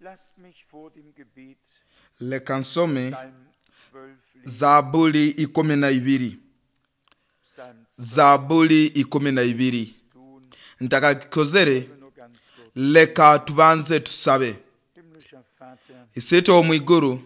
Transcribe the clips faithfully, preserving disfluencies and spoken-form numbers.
Lasst mich vor dem Gebet Leka nsome Psalm zwölf lesen. Zabuli ikumi na ibiri. Psalm Zabuli ikumi na ibiri. tun, Ntakakikozere, nur ganz kurz. leka tubanze tusabe. Himmlischer Vater, Isitwe omu iguru,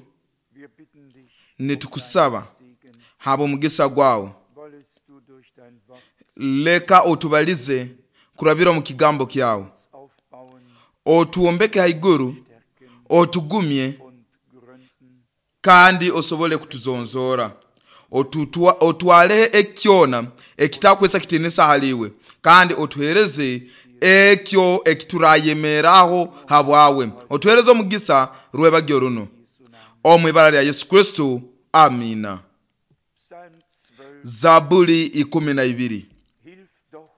wir bitten dich nitukusaba Segen, haba omugisa gwawe. wollest du durch dein Wort Leka otubalize kurabira omu kigambo kyawe, aufbauen, otuwombeke haiguru, stärken otugumye und gründen. kandi osobole kutuzonzora, Otutwa- otwaleho ekyona ekitakwesa kitinisa haliwe, kandi otuhereze ekyo ekiturayemeraaho habwawe. Otuhereze omugisa rwebagyo runo, omu ibara lya Yesu Kristo, amina. Psalm zwölf, Zabuli ikumi na ibiri. hilf doch,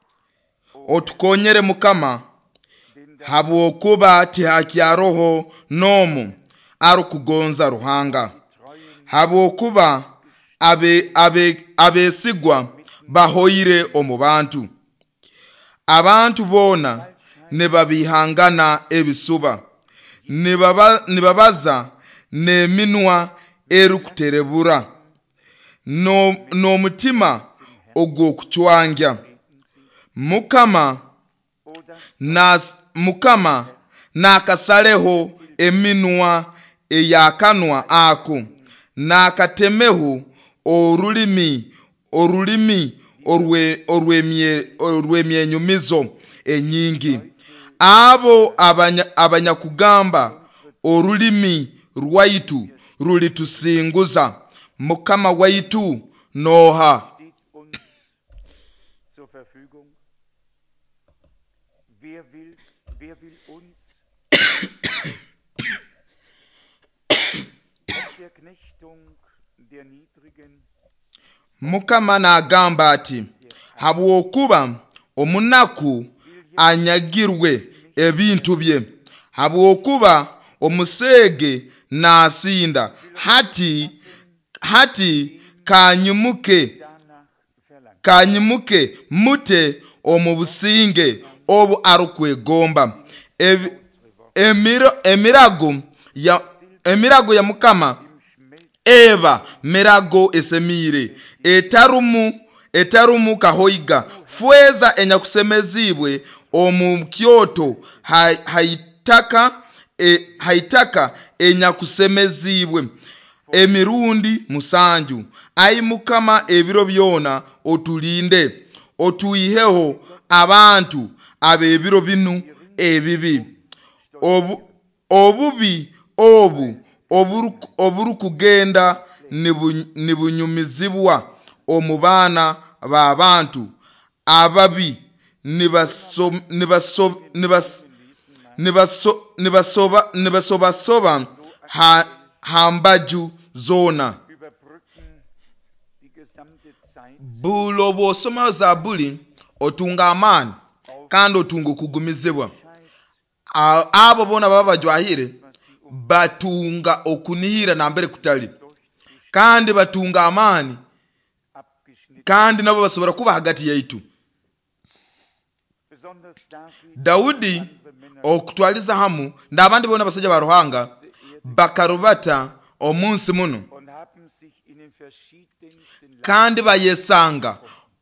o Otukonyere Mukama, denn da habwokuba tihakyaroho n'omu arukugonza Ruhanga, treuen habwokuba abe, abe, abesigwa bahoire omu bantu. Abantu boona nibabihangana ebisuba, nibaba, nibabaza n'eminwa erukuterebura, no- n'omutima ogw'okucwangya. Mukama o das nas, Mukama nakasaleho eminwa eyakanwa ako, nakatemeho orulimi orulimi orwe orwemye orwemyenyumizo enyingi. Abo abanya, abanyakugamba orulimi rwaitu rulitusinguza. Mukama waitu noha? steht uns zur Verfügung. Wer will, wer will uns ob der Knechtung der Niedrigen Mukama n'agamba ati, habwokuba omunaku anyagirwe ebintu bye, habwokuba omuseege nasinda, hati hati kanyimuke danach verlangt. kanyimuke mute omu businge obu arukwegomba. Ebi- Emiro, emirago ya emirago ya Mukama eba mirago esemiire, etarumu etarumu kahoiga. Fweza enyakusemezibwe omu kyoto ha- haitaka e, haitaka enyakusemezibwe emirundi musanju. Ai Mukama, ebiro byona otulinde, otuiheho abantu ab'ebiro binu ebibi. Obu, obubi obu oburuku- oburukugenda nibu- nibunyumizibwa omu baana b'abantu ababi, nibaso- nibaso- nibas- nibaso- nibasoba nibasobasoba ha, ha mbaju zoona. Überbrücken die gesamte Zeit Buli obwosoma Zabuli otunga amaani kandi otunga okugumizibwa. A- Abo boona baba bajwahire batunga okunihira nambere kutali, kandi batunga amaani, abgeschnitten. kandi nabo basobora kuba hagati yaitu. Besonders David Daudi okutwaliza hamu n'abandi boona abasajja ba Ruhanga bakarubata omunsi muno, und haben sich in den verschiedensten Lagen kandi bayesanga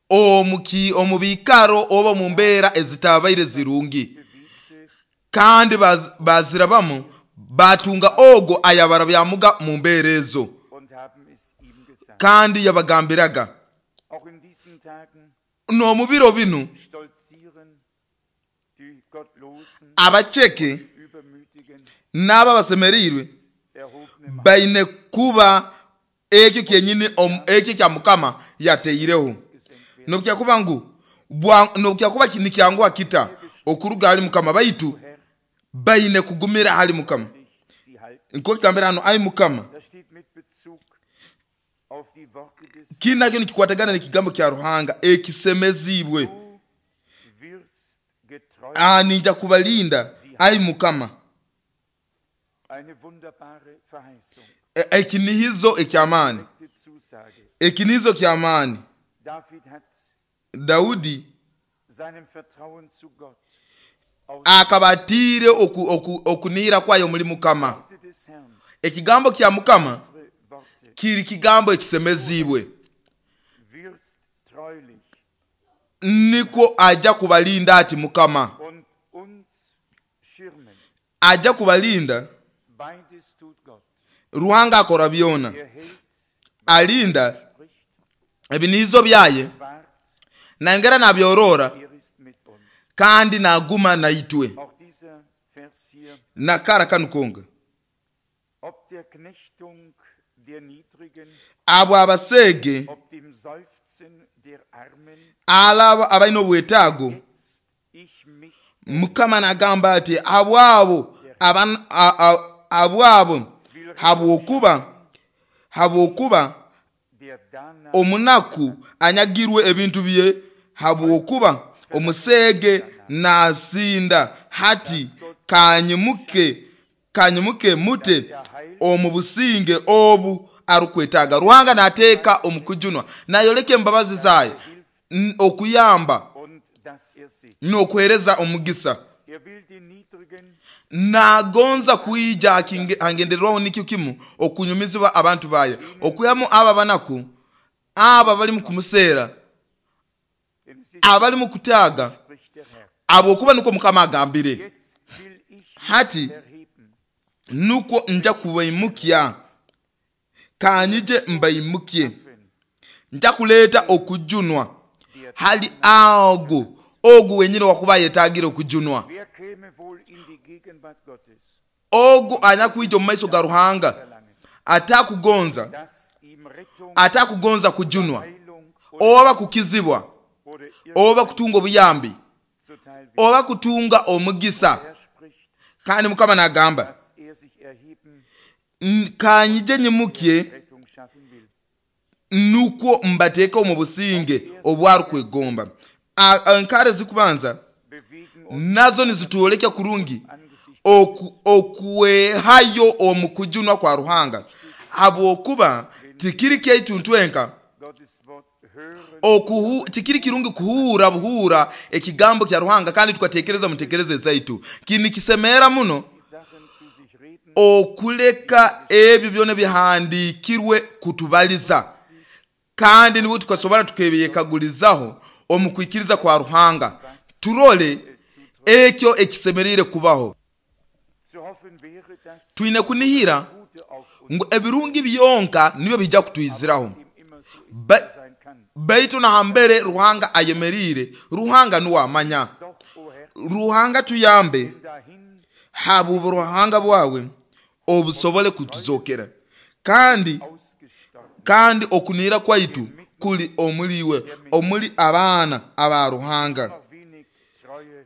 omu ki- omu biikaro oba omu mbeera ezitabaire zirungi, bewegte, kandi baz- bazirabamu batunga ogo ayabarabyamuga mu mbeera ezo, und haben es ihm gesagt. kandi yabagambiraga. Auch in diesen Tagen N'omu biro binu stolzieren die Gottlosen, abaceke Übermütigen, n'abo abasemeriirwe erhobenen baine kuba ekyo kyenyini omu- ekyo kya Mukama yateireho. gesenkt werden. Nobukyakuba ngu bwa- nobukyakuba ki- nikyanguha kita okuruga hali Mukama, baitu baine kugumira hali Mukama. Nicht sie halten. Nko kigambira hano, ai Mukama, Das steht mit Bezug auf die Worte des kinu nakyo nikikwatagana n'ekigambo kya Ruhanga ekisemezibwe. Du wirst getreu. Ah, ninja kubalinda ai Mukama. Eine wunderbare Verheißung, E- Ekinihizo eky'amaani, die Zusage. ekinihizo ky'amaani. David hat Daudi seinem Vertrauen zu Gott Akaba atiire oku, oku, okunihira kwayo omuli Mukama. Worte des Herrn, Ekigambo kya Mukama unsere Worte, kiri kigambo ekisemeziibwe, wirst treulich nikwo ajja kubalinda ati Mukama und uns schirmen. ajja kubalinda. Beides tut Gott. Ruhanga akora byona, Er hält, alinda spricht, ebiniizo byaye wahrt, nangera nabyorora er ist mit uns. kandi naguma naitwe. Auch dieser Vers hier, Nakara kanu konga ob der Knechtung der Niedrigen, abo abaseege ob dem Seufzen der Armen, alabo abalina obwetaago, jetzt ich mich Mukama nagamba ati abo abo aban- a- a- abo abo habwokuba habwokuba der danach omunaku anyagirwe ebintu bye, habwokuba omuseege nasinda hati kanyimuke kanyimuke mute omu businge obu arukwetaaga. Ruhanga nateeka omukujunwa nayoleka embabazi zaye n- okuyamba und dass er sieht. n'okuhereza omugisa. Er will den Niedrigen Nagonza kwija akinge- angendererwaho nikyo kimu okunyumizibwa abantu baye, okuyamu abo abanaku, abo abali kumuseera, denn es ist, abali mu kutaaga, spricht der Herr. abwokuba nukwo Mukama agambire Jetzt will ich mich hati erheben. nukwo nja kubaimukya, kanyije mbaimukye, nja kuleeta okujunwa Der hali ago ogu wenyini wakuba yetagire okujunwa, Wer käme wohl in die Gegenwart Gottes? ogu anyakwija omu maiso ga Ruhanga Verlangen, atakugonza dass ihm Rettung, atakugonza kujunwa Heilung und oba kukizibwa oder oba kutunga obuyambi zuteil wird. oba kutunga omugisa. Er spricht, Kandi Mukama nagamba dass er sich erheben, "N- kanyije nyimukye Rettung schaffen will. nukwo mbateeke omu businge obwarukwegomba. A- Enkare zikubanza Bewegen uns nazo nizitwoleka kurungi angesichts oku- okwehayo omu kujunwa kwa Ruhanga, habwokuba tikiri kyaitu ntwenka Gottes Wort hören, okuhu tikiri kirungi kuhuura buhuura ekigambo kya Ruhanga kandi tukatekereza mutekereze zaitu. Kinikisemeera muno die Sachen zu sich reden, okuleka ebyo byona bihandikirwe kutubaliza, kandi niwe tukasobora tukebyekagulizaho omu kwikiriza kwa Ruhanga, turole ekyo ekisemerire kubaho. zu hoffen wäre, dass Twine kunihira Gute auf uns ngu ebirungi byonka nibyo bijja kutwiziraho, dem immer so ist, Ba- sein kann. baitu nahambere Ruhanga ayemerire, Ruhanga nuwe amanya. Doch, o Herr, Ruhanga tuyambe dahin habu Ruhanga bwawe obusobole kutuzokera, kandi ausgestorben. kandi okunihira kwaitu kuli omuliwe omuli abaana aba Ruhanga. Noch wenig Treue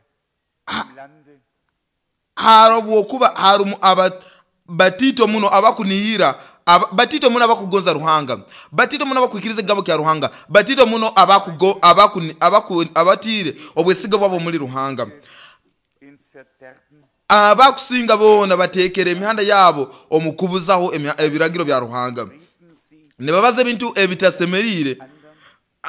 im Lande, Habwokuba harumu aba batito muno abakunihira aba, batito muno abakugonza Ruhanga, batito muno abakwikiriza ekigambo kya Ruhanga, batito muno abakugo abakuni abaku abatire obwesiga bwabo muri Ruhanga. ins Verderben, Abakusinga boona batekera emihanda yabo omu kubuzaho emya- ebiragiro bya Ruhanga, reden sie nibabaza ebintu ebitasemerire. andern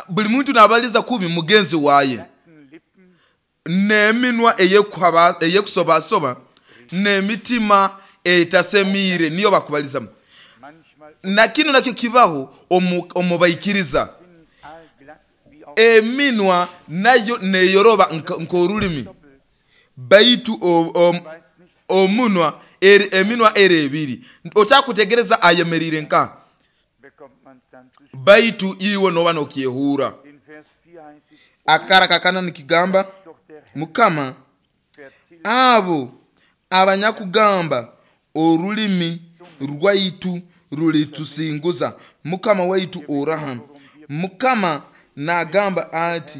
Buli muntu nabaliza kubi mugenzi waye, glatten Lippen n'eminwa eyekuhaba- eyekusobasoba n'emitima etasemire niyo bakubalizamu. manchmal Na kino nakyo kibaho omu omu baikiriza, sind allglatt wie auf eminwa nayo neyoroba nka- nk'orulimi, doppelt, baitu o- o- weiß nicht, omunwa eri, eminwa eri ebiri otakutegereza ayemerire nka, bekommt man's dann zu spüren. baitu iwe noba nokyehuura. In Vers vier heißt es, Akara kakana nikigamba dass doch der Herr Mukama vertilgt abo abanyakugamba orulimi rwaitu rulitusinguza, Mukama waitu oraha. Mukama nagamba ati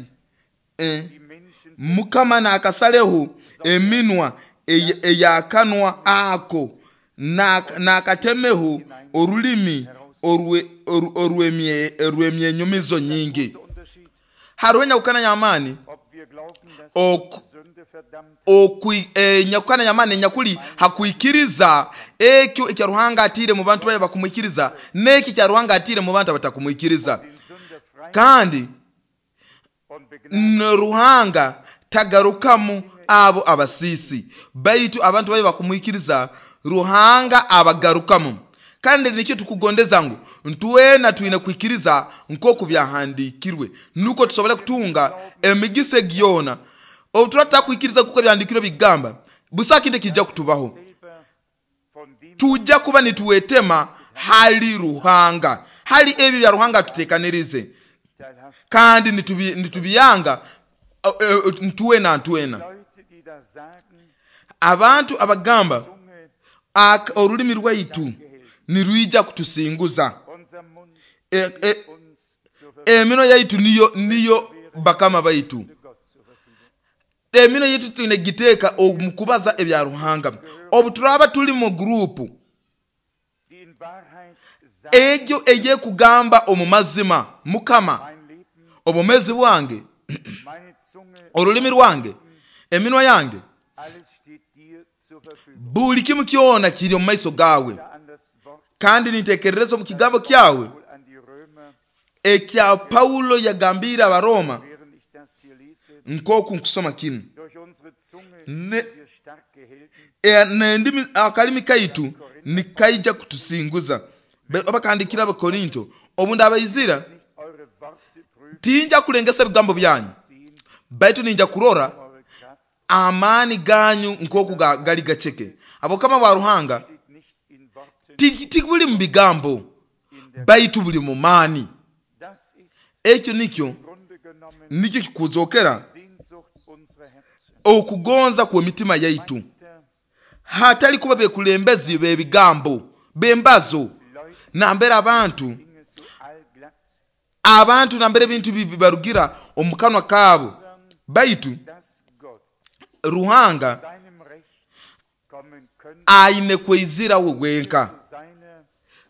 eh, die Menschen Mukama nakasaleho eminwa ey- eyakanwa ako nak- nakatemeho orulimi orwe- oru- orw'emye- orw'emyenyumizo nyingi. großer Unterschied, Hariho enyakukana y'amaani ob wir glauben, dass Ok- Sünde verdammt okwi enyakukana y'amaani enyakuli hakwikiriza ekyo ekya Ruhanga atiire mu bantu baye bakumwikiriza n'ekyo ekya Ruhanga atiire mu bantu abatakumwikiriza. den Sünder frei Kandi und begnadigt n- Ruhanga tagarukamu abo abasiisi, baitu abantu babe bakumwikiriza Ruhanga abagarukamu. Kandi nikyo tukugondeza ngu ntwena twine kwikiriza nk'oku byahandikirwe, nuko tusobole kutunga emigisa gyona. Obu turatakwikiriza kuko byahandikirwe bigamba, busa kindi kijja kutubaho, tujja kuba nituwetema hali Ruhanga, hali ebyo bya Ruhanga tutekanirize, kandi nitubiyanga ntwena ntwena. Abantu abagamba orulimi rwaitu nirwija kutusinguza, e, e, emino yaitu niyo niyo bakama baitu, emino yaitu twine giteeka omu kubaza ebya Ruhanga. Obu turaba tuli mu gurupu egyo eyekugamba omu mazima, Mukama obumezi bwange, orulimi rwange, eminwa yange, buli kimu kyona kiri omu maiso gawe. Kandi nintekerereza omu kigambo kyawe ekya Paulo yagambire Abaroma, nkoku nkusoma kinu, nendimi akalimi kaitu nikaija kutusinguza. Obakandikira Abakorinto, obu ndabaizira tinja kulengesa ebigambo byanyu, baitu ninja kurora amaani ganyu nkoku gali gaceke. Abokama bwa Ruhanga tibuli mu bigambo, baitu buli mu maani. Ekyo nikyo nikyo kikuzokera okugonza kwa mitima yaitu, hatali kuba bekulembezi bebigambo bembazo nambera abantu abantu nambere ebintu bibarugira omukanwa kabo, baitu Ruhanga aine kwezira we wenka.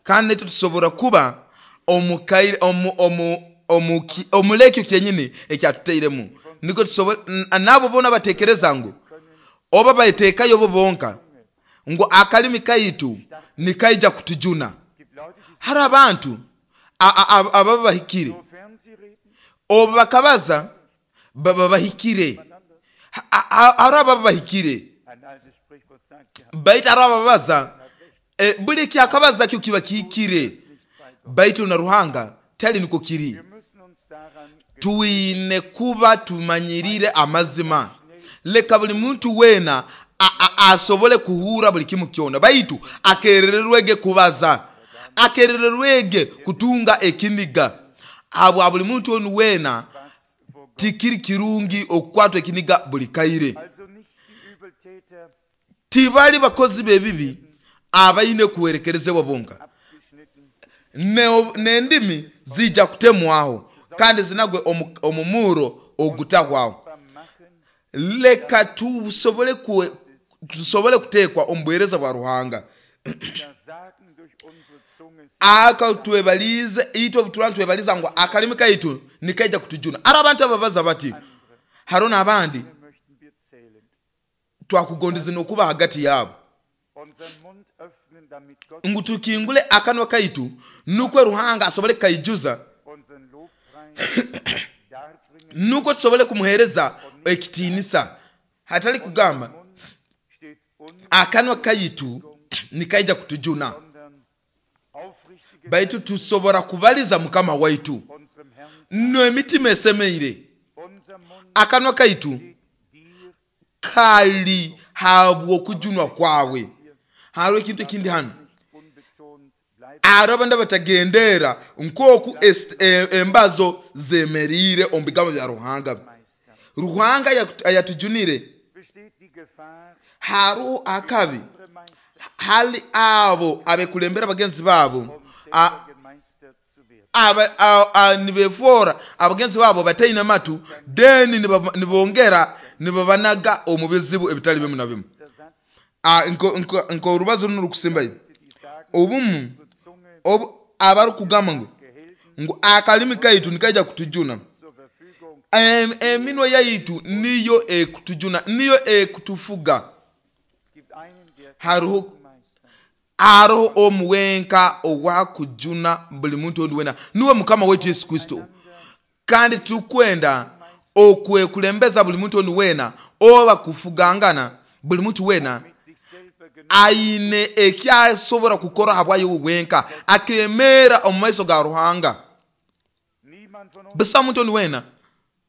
Kandi tusobora kuba omukaire omu omu omulekyo kyenyini ekyatuteiremu, niko tusobora nabo bona batekereza ngu oba bayitekayo bo bonka ngu akalimi kaitu nikaija kutujuna. Hari abantu ababa bahikire, obu bakabaza baba bahikire, hari ababa bahikire, baitu hari ababaza buli kyakabaza kyo kiba kihikire, baitu na Ruhanga tali niko kiri. Tuine kuba tumanyirire amazima. Leka buli muntu wena asobole kuhura buli kimu kyona, baitu akerererwege kubaza, akerererwege kutunga ekiniga. Abo buli muntu onu wena tikiri kirungi okukwatwa ekiniga buli kaire. Tibali bakozi bebibi abaine kuwerekerezebwa bonka, nendimi zija kutemwaho kandi zinagwe omumuro ogutahwaho. Leka tusobole kuwe, tusobole kutekwa omubuhereza bwa Ruhanga. Aka twebalize itwe butura twebaliza ngo akalimi kaitu nikaija kutujuna. Ara abantu ababaza bati harona abandi twakugondeze nokuba hagati yabo, ngu tukingule akanwa kaitu nukwe Ruhanga asobole kaijuza, nuko tusobole kumuhereza ekitinisa. Hatali kugamba akanwa kaitu nikaija kutujuna, baitu tusobora kubaliza Mukama waitu no emitima esemeire. Akanwa kaitu kali habwo kujunwa kwawe. Hariho ekintu ekindi hano, arabanda batagendera nkoku embazo zemerire omu bigambo bya Ruhanga. Ruhanga yatujunire. Hariho akabi hali abo abekulembera bagenzi babo nibefora abagenzi babo bataine matu, deni nibongera nibabanaga omu bizibu ebitali bimu na bimu. Nko urubazo runo rukusimbayo obumu abarukugamba ngu ngu akalimi kaitu nikaija kutujuna, eminwa yaitu niyo ekutujuna, niyo ekutufuga. Hariho hariho omuwenka owakujuna buli muntu ondi wena, niwe Mukama wetu Yesu Kristo. Kandi tukwenda okwekulembeza buli muntu ondi wena Oba kufugangana buli muntu wena mit sich selber genug aine ekyasobora kukora habwayo wenka akemera omu maiso ga Ruhanga. Niemand von uns Busa muntu oni wena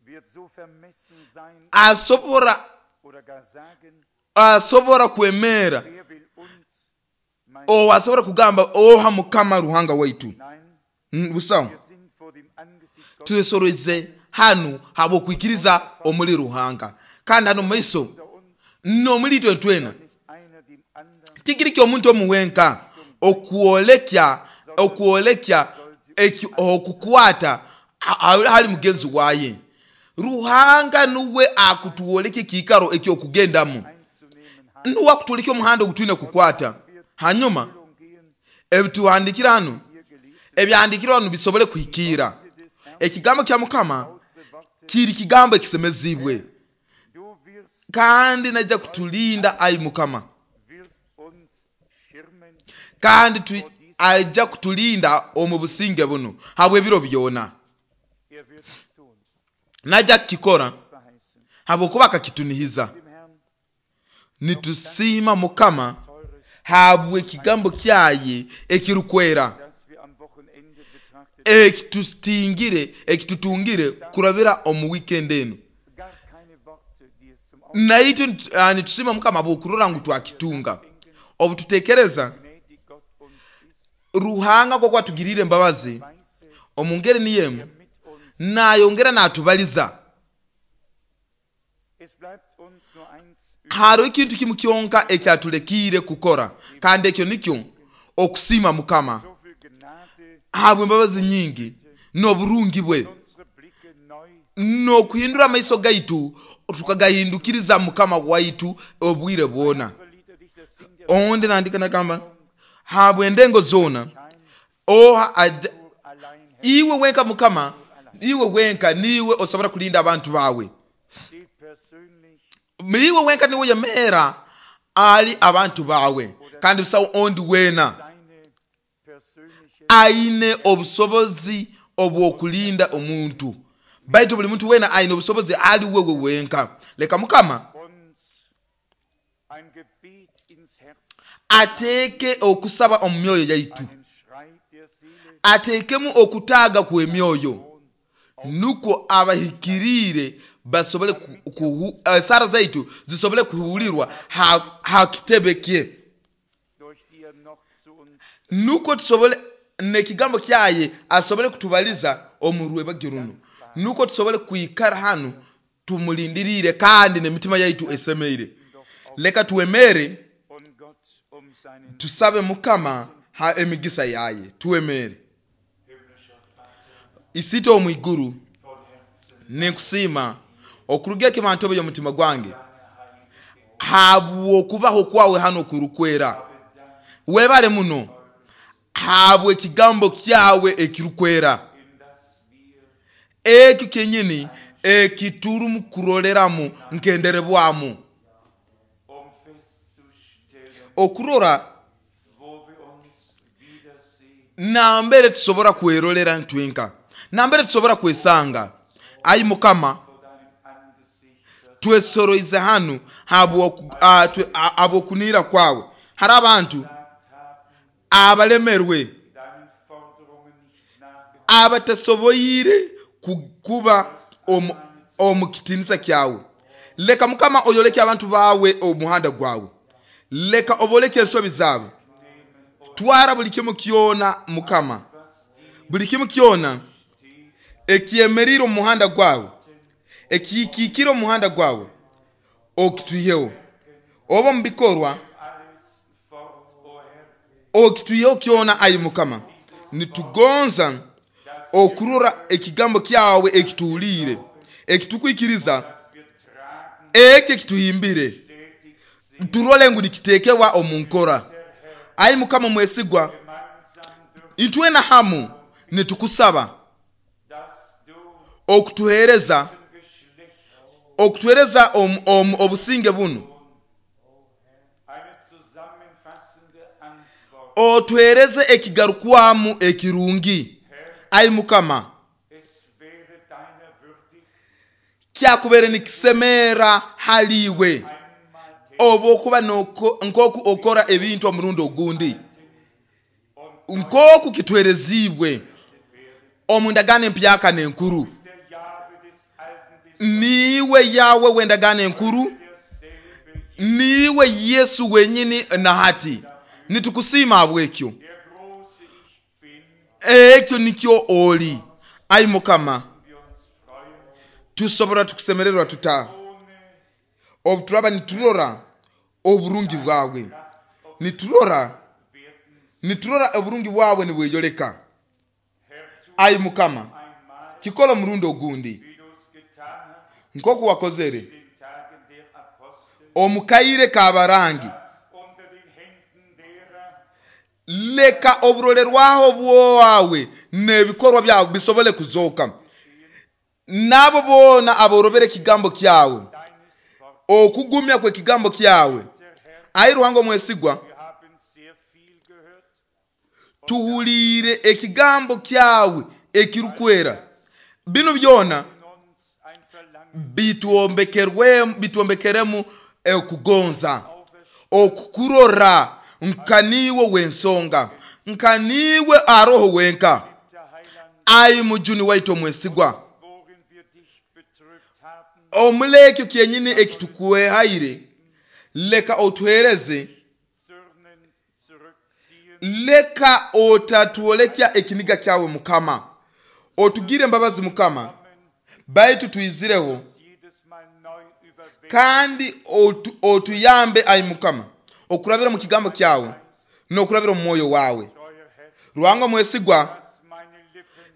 wird so vermessen sein asobora oder gar sagen, asobora kwemera wer will uns mein o asobora kugamba oha Mukama Ruhanga waitu. Nein, Mm, busaho wir sind vor dem Angesicht Gottes twesoroze hanu habwokwikiriza omuli Ruhanga kandi hano maiso unter uns, nomuli itwe twena nicht einer dem anderen tikiri kyomuntu omuwenka okwolekya okwolekya eki- okukwata ha- ha- hali mugenzi waye. Ruhanga nuwe akutwolekya ekiikaro ekyokugendamu, einzunehmen hat. nuwe akutwolekya omuhanda ogutwine kukwata. Hanyuma Führung gehen, ebituhandikira hanu hier gelesen ebyahandikirwe hanu bisobole kuhikiira. des Herrn Ekigambo kya Mukama lautere Worte. kiri kigambo ekisemezibwe Du wirst, kandi najja kutulinda ayi Mukama, wirst uns schirmen kandi tu, ajja kutulinda omu businge buno habw'ebiro byona. Er wird es tun. Najja kukikora Es verheißen. habwokuba akakitunihiza. Dem Herrn Nitusiima Mukama teures, habw'ekigambo kyaye ekirukwera das wir am Wochenende betrachtet, ekitutingire ekitutungire kurabira omu weekend eno. gar keine Worte, die es zum Ausdruck Naitwe ah, nitusiima Mukama habw'okurora ngu twakitunga. Obu tutekereza gnädig Gott uns ist, Ruhanga koko atugirire embabazi weise omu ngeri niyo emu mit uns. nayongera natubaliza. Es bleibt uns nur eins übrig, Hariho ekintu kimu kyonka ekyatulekiire kukora kandi ekyo nikyo okusiima Mukama so viel Gnade, habw'embabazi nyingi n'oburungi bwe unsere Blicke neu n'okuhindura amaiso gaitu tukagahindukiriza Mukama waitu obwire bwona. Unsere Liederdichter singt ja Ondi nandika nagamba habw'endengo zoona oha aja- nur allein Herr, iwe wenka Mukama, iwe wenka niwe osobora kulinda abantu bawe, steht persönlich iwe wenka niwe yemera ali abantu bawe kandi busawo ondi wena seine persönliche aine obusobozi obw'okulinda omuntu baitu buli muntu wena aine obusobozi ali wewe wenka. Leka Mukama uns ein Gebet ins Herz, ateeke okusaba omu myoyo yaitu, einen Schrei der Seele ateekemu okutaaga kw'emyoyo nukwo abahikiriire basobole ku- kuhu- eh, sara zaitu zisobole kuhulirwa ha, ha kitebe kye durch die er noch zu uns nukwo tusobole nekigambo kyaye asobole kutubaliza omu rwebagyo runo nukwo tusobole kwikara hanu tumulindirire kandi n'emitima yaitu esemeire. Leka tuwemere und Gott um seinen tusabe Mukama ha emigisa yaye tuwemere. Isite omu iguru ninkusiima okuruga ekimantobe y'omutima gwange habw'okubaho kwawe hano kurukwera. Webale muno habwe ekigambo kyawe ekirukwera ekyo kyenyini ekiturumu kuroreramu nkenderebwamu um festzustellen, okurora wo wir uns wiedersehen, nambere tusobora kwerorera ntwenka nambere tusobora kwesanga. Ayi Mukama vor deinem Angesicht twesoroize hanu habw'oku- ah, twe- ah, habw'okunira kwawe. Hari abantu abalemerwe deinen Forderungen nicht nachgekommen abatasoboire ku- kuba omu- omu kitinisa kyawe. Leka Mukama oyoleke abantu bawe omuhanda gwawe, leka oboleke ensobi zaabwe. Twara buli kimu kyona Mukama, buli kimu kyona ekyemerire omu muhanda gwawe, ekikiikire omu muhanda gwawe okitwiheho, oba omu bikorwa alles fort, o Herr, okitwiheho kyona. Ayi Mukama nitugonza okurora ekigambo kyawe ekituhuliire ekitukwikiriza wir tragen ekyo ekituhimbire stetig sind, turole ngu nikiteekebwa omu nkora. Ayi Mukama mwesigwa, gemeinsam dürfen, itwena hamu nitukusaba dass du okutuheereza dem Geschlecht okutuheereza omu- omu- obusinge bunu, eine zusammenfassende Antwort. otuheereze ekigarukwamu ekirungi. Ayi Mukama Es wäre deiner würdig, Kyakubere nikisemera haliwe oba okuba nk'oku okora ebintu omurundi ogundi nk'oku kitwerezibwe omu ndagaano empyaka n'enkuru. Niiwe Yawe w'endagaano enkuru, niiwe Yesu wenyini na hati nitukusiima habwekyo. Ekyo nikyo oli ai Mukama. Tusobora tukusemererwa tuta obu turaba niturora oburungi bwawe, niturora niturora oburungi bwawe nibweyoleka. Ai Mukama, kikola omurundi ogundi nk'oku wakozere omukaire k'abarangi. Leka oburolerwaho bwawe n'ebikorwa byawe bisobole kuzooka, n'abo boona aborobera ekigambo kyawe, okugumya kw'ekigambo kyawe. Ai Ruhanga omwesigwa, tuhuliire ekigambo kyawe ekirukwera. Binu byona bitwombekeremu okugonza, okukurora nka niiwe w'ensonga, nka niiwe aroho wenka. Ai mujuni waitu omwesigwa, omulekyo kyenyini ekitukuhaire, leka otuhereze, leka otatwolekya ekiniga kyawe Mukama. Otugire embabazi Mukama, baitu tuizireho, kandi otu, otuyambe ai Mukama okurabira mu kigambo kyawe n'okurabira mu mwoyo wawe. Ruhanga mwesigwa,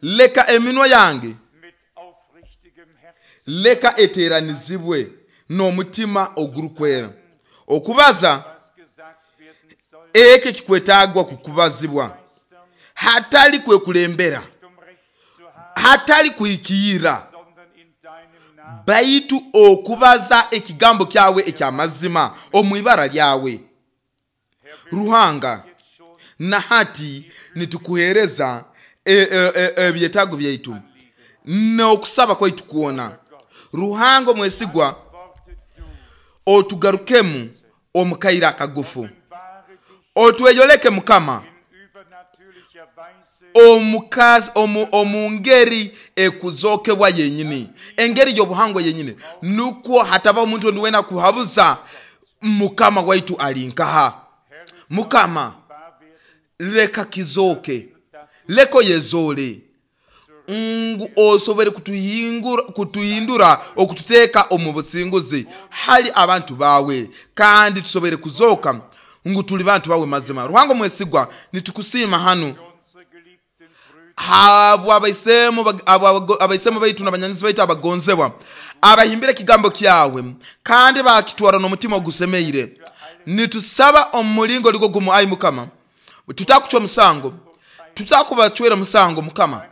leka eminwa yange leka eteranizibwe n'omutima ogurukwera okubaza ekyo kikwetagwa kukubazibwa, hatali kwekulembera, hatali kuhikiira, baitu okubaza ekigambo kyawe ekyamazima omu ibara lyawe. Ruhanga, na hati nitukuhereza ebyetaago byaitu n'okusaba kwaitu kwona. Ruhanga omwesigwa, otugarukemu omukaire akagufu, otweyoleke Mukama omu ngeri ekuzokebwa yenyini, engeri y'obuhangwa yenyini, nukwo hataba omuntu ondi wena kuhabuza Mukama waitu ali nkaha. Mukama, leka kizoke, leko yezole ngu osobole kutuhindura okututeeka omu businguzi hali abantu bawe, kandi tusobole kuzoka ngu tuli bantu bawe mazima. Ruhanga omwesigwa, nitukusiima hanu habwa abaisemu baitu n'abanyanyizi baitu abagonzebwa abahimbire ekigambo kyawe kandi bakitwara n'omutima ogusemeire. Nitusaba omu mulingo ligo gumu ai Mukama, tutakucwa musango, tutakubacwera musango Mukama,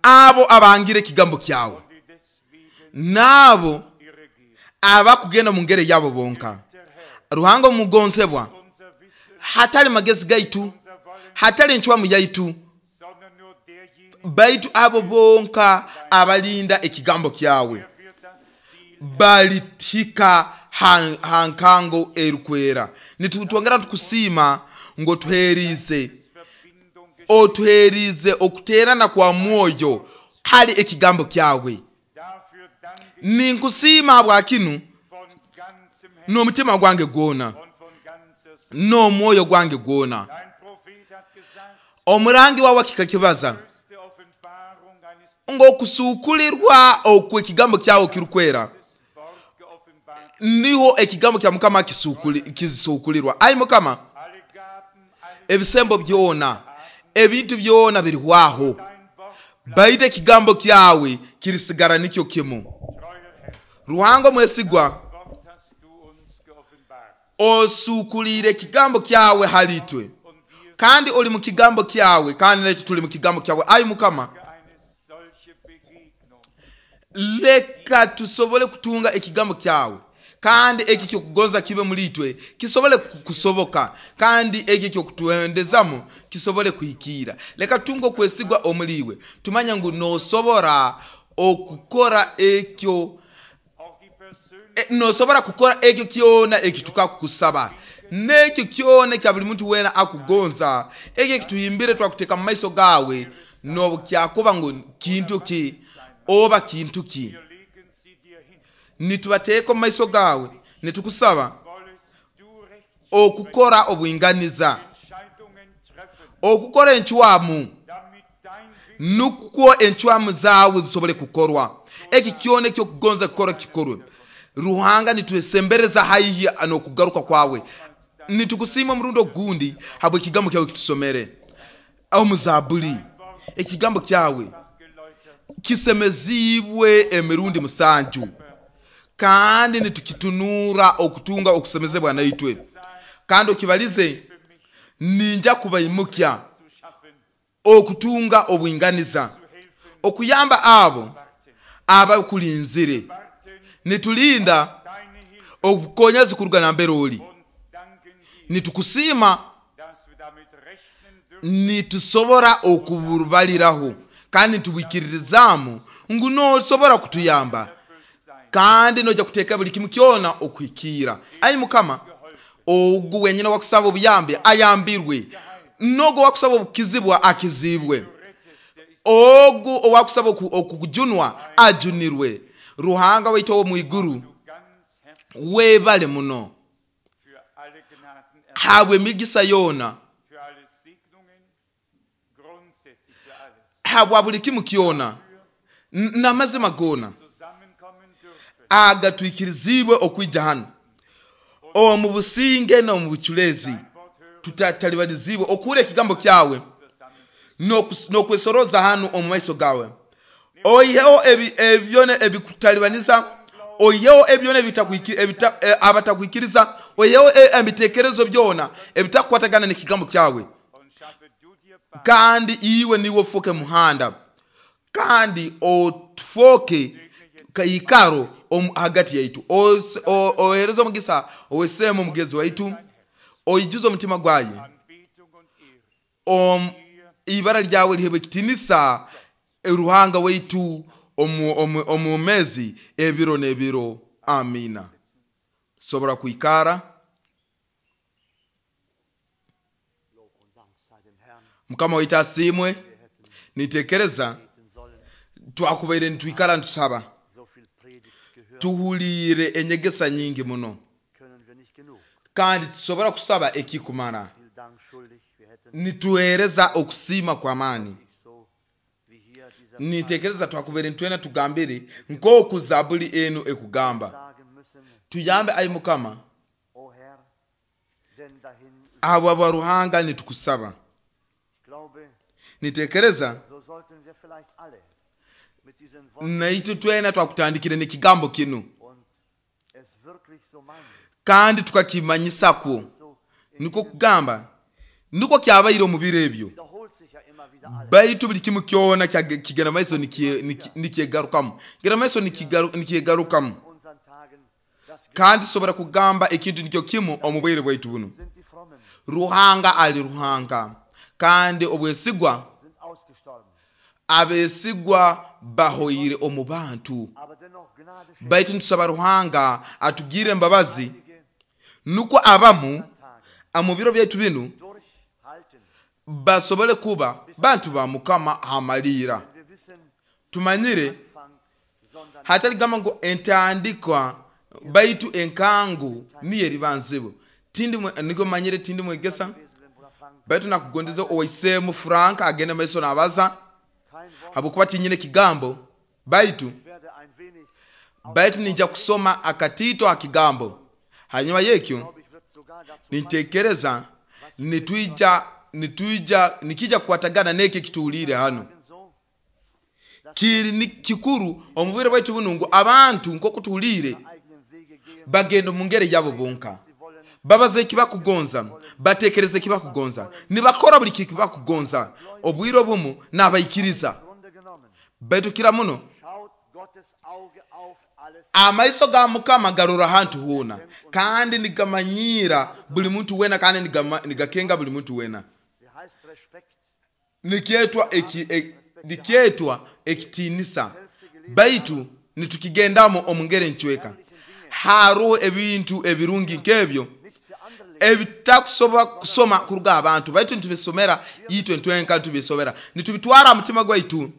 abo abangire ekigambo kyawe n'abo abakugenda mu ngere yabo bonka. Ruhanga omugonzebwa, hatali magezi gaitu, hatali enchwamu yaitu, baitu abo bonka abalinda ekigambo kyawe balitika hankango erukwera. Nitutwongera tukusiima ngo otuherize otuherize okuterana kwa mwoyo hali ekigambo kyawe. Ninkusiima habwa kinu n'omutima gwange gwona n'omwoyo gwange gwona. Omurangi wawe kikakibaza ng'okusukulirwa okw'ekigambo kyawe kirukwera niho ekigambo kya Mukama kisukulirwa. Ai Mukama, ebisembo byona, ebintu byona birihwaho, baitu ekigambo kyawe kirisigara nikyo kimu. Ruhanga omwesigwa, osukulire ekigambo kyawe halitwe, kandi oli mu kigambo kyawe, kandi nekyo tuli mu kigambo kyawe. Ai Mukama, leka tusobole kutunga ekigambo kyawe, kandi eki kyokugonza kibe muri itwe kisobole kusoboka, kandi eki kyokutuendezamu kisobole kuhikira. Leka tunge okwesigwa omuriwe, tumanye ngu nosobora okukora ekyo Auch die persönliche e, nosobora kukora ekyo kyona ekitukakusaba n'ekyo kyona ekya buli muntu wena akugonza ekyo ekituhimbire twakuteeka mu maiso gaawe nobukyakuba ngu kintu ki oba kintu ki wir legen sie dir hin. nitubateeka omu maiso gaawe nitukusaba Wollest du recht okukora obwinganiza Entscheidungen treffen, okukora encwamu damit dein Wille nukwo encwamu zaawe zisobole kukorwa eki kyona ekyokugonza kukora kikorwe. Ruhanga nitwesembereza haihi n'okugaruka kwawe, nitukusiima omurundi ogundi habw'ekigambo kyawe kitusomere omu Zabuli. Ekigambo kyawe geläutert kisemeziibwe emirundi musanju, kandi nitukitunura okutunga okusemezebwa naitwe. Kandi okibalize ninja kubaimukya zu schaffen, okutunga obwinganiza, zu helfen, okuyamba abo warten. abakulinzire. Warten Nitulinda deine Hilfe obukonyezi kuruga nambere oli, und danken dir, nitukusiima, dass wir damit rechnen dürfen, nitusobora okububaliraho kandi nitubwikiririzaamu ngu nosobora kutuyamba erfüllt sein. kandi noja kuteeka buli kimu kyona okuhikiira. Ayi Mukama, ogu wenyine wakusaba obuyambi ayambirwe, nogu owakusaba obukizibwa akizibwe, Du rettest, der ist ogu owakusaba oku- okujunwa ajunirwe. Ruhanga waitu ow'omu iguru, du ganz herzlich weebale muno für alle Gnaden, habw'emigisa yoona, für alle Segnungen, grundsätzlich für alles. habwa buli kimu kyona N- n'amazima goona Zusammenkommen dürfen agatwikirizibwe okwija hano omu businge n'omu buculezi, Wort hören tutatalibalizibwe okuhura ekigambo kyawe versammeln. n'okus- n'okwesoroza hano omu maiso gawe. Oiheho ebi- ebyona ebikutalibaniza, oiheho ebyona ebitakwiki- ebita- eh, abatakwikiriza, oiheho e- ebitekerezo byona ebitakukwatagana n'ekigambo kyawe, Und schaffe du dir Bahn kandi iwe niwe ofuuke muhanda, kandi otufoke kaikaro omu- hagati yaitu. Os- o- ohereze omugisa oweseemu omugezi waitu, oijuze omutima gwaye Anbetung und Ehre. om ibara lyawe lihebwe ekitinisa, Ruhanga waitu omu, omu, omu mezi ebiro n'ebiro. Amina. Sobora kwikara. Lob und Dank sei dem Herrn. Mukama waitu asiimwe. Wir hätten Nitekereza beten sollen, twakubaire nitwikara nitusaba, so viel Predigt gehört, tuhuliire enyegesa nyingi muno, können wir nicht genug. kandi tusobora kusaba ekikumara. Viel Dank schuldig. Wir hätten Nituhereza okusiima kw'amaani. nicht so wie hier dieser Nitekereza twakubaire nitwena tugambire nk'oku Zabuli enu ekugamba. sagen müssen, Tuyambe ayi Mukama, o Herr, denn dahin abo aba Ruhanga nitukusaba. ich glaube, Nitekereza so sollten wir vielleicht alle mit diesen Worten naitu twena twakutandikire n'ekigambo kinu, und es wirklich so meinen. kandi tukakimanyisakwo. So in Nikwo kugamba nikwo kyabaire omu biro ebyo, wiederholt sich ja immer wieder alles. baitu buli kimu kyona kyage- kigenda maiso nikie- niki- nikyegarukamu, kigenda maiso nikigaru- nikyegarukamu. In unseren Tagen, das Kandi tusobora kugamba ekintu nikyo kimu omu bwire bwaitu buno. sind die Frommen, Ruhanga ali Ruhanga, kandi obwesigwa sind ausgestorben. abesigwa bahoire omu bantu. Aber dennoch Gnade schenkt Baitu nitusaba Ruhanga atugirire embabazi, einige nukwo abamu Tage mu biro byaitu binu durchhalten. basobole kuba bantu ba Mukama amaliira. Denn wir wissen, Tumanyire Anfang, sondern hatali gamba ngu entandikwa baitu enkangu niyo eriba nzibu. Tindi mwe- niko manyire tindi mwegesa, gewesen, wenn Bruder Frank baitu nakugondeza owaisemu Frank agende maiso n'abaza, kein Wort, habwokuba tinyine kigambo baitu ich werde ein wenig, baitu nija kusoma akatito akigambo. Hanyuma yekyo glaube ich, wird sogar dazu nitekereza nitwija nitwija nikija kukwatagana n'ekyo ekituhuliire hano. beitragen, so, Kiri ni kikuru omu bwire bwaitu bunu ngu abantu nk'oku tuhuliire eigenen Wege gehen, bagenda omu ngeri yabo bonka, sie wollen babaza ekibakugonza, batekereza ekibakugonza, nibakora buli kibakugonza. Obwire obumu n'abaikiriza, Grunde genommen. baitu kira muno Schaut Gottes Auge auf alles amaiso ga Mukama garora hantu hoona, kandi nigamanyiira buli muntu wena, kandi nigama- nigakenga buli muntu wena. Sie heißt Respekt, Nikyetwa eki, e, nikyetwa ekitiinisa. Baitu nitukigendamu omu ngeri encweka. Haroho ebintu ebirungi nk'ebyo ebitakusobola kusoma kuruga abantu, baitu nitubisomera itwe ntwenka, nitubisomera nitubitwara aha mutima gwaitu.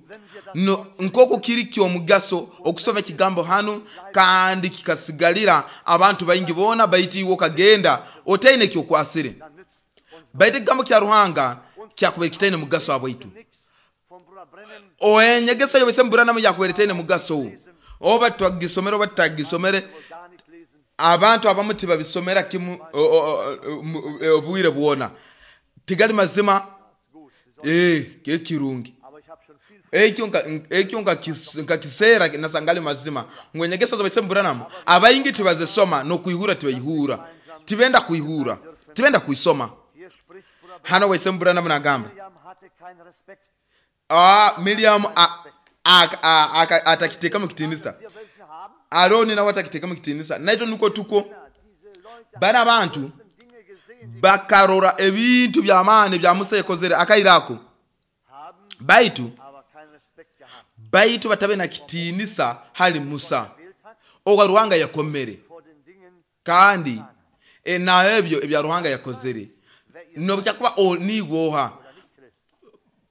No, nk'oku kiri ky'omugaso okusoma ekigambo hanu kandi kikasigalira abantu baingi boona, baitu iwe okagenda otaine ekyokwasire. Baitu ekigambo kya Ruhanga kyakubaire kitaine mugaso abwaitu. Enyegesa yobese Branham yakubaire etaine mugaso, oba twagisomere oba tutagisomere. Abantu abamu tibabisomera kimu obwire bwona, tigali mazima. Eh, ekirungi ekyo ekyo nkakisera nasangali mazima ngu enyegesa z'obese Branham abaingi tibazisoma, n'okwihura tibaihura, tibenda kwihura, tibenda kuisoma. Hano wese Branham nagamba ah, Miriam atakitekamu kitinisa, Aroni nawe atakitekamu kitinisa, naitwe nuko tuko bana abantu bakarora ebintu by'amaani bya Musa yakozere akairako, baitu baitu batabe na kitinisa hali Musa owa Ruhanga yakomere, kandi e, na ebyo ebya Ruhanga yakozere nobukyakuba niwoha,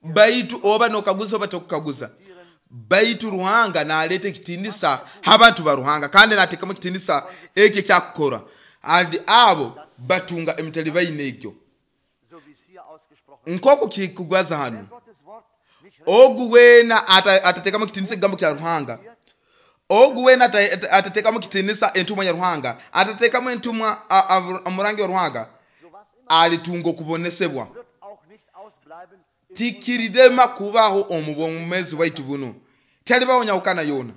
baitu oba nokaguza oba tokukaguza, baitu Ruhanga naleta ekitinisa abantu ba Ruhanga, kandi natekamu ekitinisa ekyo ekyakukora, andi abo batunga emitalibaine egyo nk'oku kikugwaza hano. Ogu wena atatekamu kitinisa ekigambo kya Ruhanga, ogu wena atatekamu kitinisa entumwa ya Ruhanga, atatekamu entumwa omurangi wa Ruhanga, alitunga okubonesebwa. Tikirirema kubaho omu bwomezi bwaitu buno, talibaho nyawukana yona,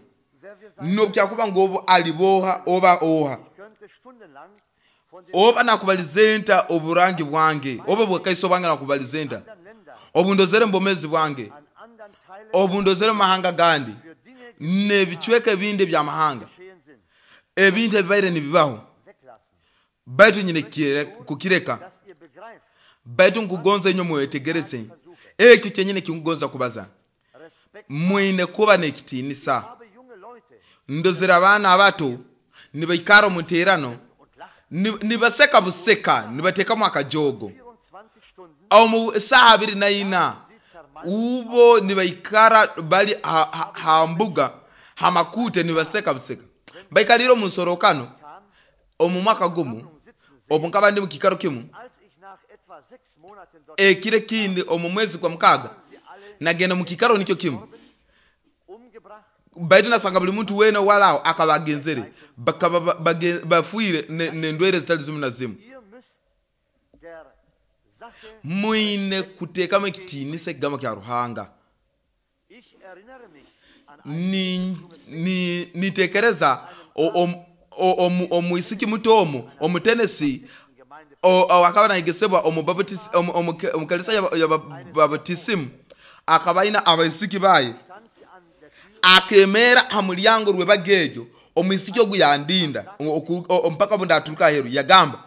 nobukyakuba ngu obu aliboha oba oha oba nakubalizenta oburangi bwange oba bwakaiso bwange nakubalizenta obundozere mbomezi bwange obundozere mahanga gandi n'ebicweka ebindi ebyamahanga ebintu ebibaire nibibaho, baitu nyine kukireka, baitu nkugonza inyo mwetegereze ekyo kyenyine kinkugonza kubaza. Mwine kuba n'ekitinisa. Ndozere abaana abato nibaikara omu nteerano nibaseka buseka, nibatekamu akajogo omu saaha abiri na ina ubo nibaikara bali ha, ha mbuga hamakute nibaseka buseka. Baikalire omu nsorokano omu mwaka gumu obu nkaba ndi mu kikaro kimu ekire kindi omu mwezi kwa mukaga nagenda mu kikaro nikyo kimu, baitu nasanga buli muntu wena walao akabagenzere bakaba bafuire nendwere zitali zimu na zimu. Mwine kutekamu ekitinisa ekigambo kya Ruhanga. Ni ni nitekereza omwisiki muto omu omu Tennessee akaba nayegesebwa omu Baptist omu kanisa ya Baptism, akaba aina abaisiki baye, akemera ha mulyango rw'ebagejo omwisiki ogu yandinda mpaka bunda aturuka aheru, yagamba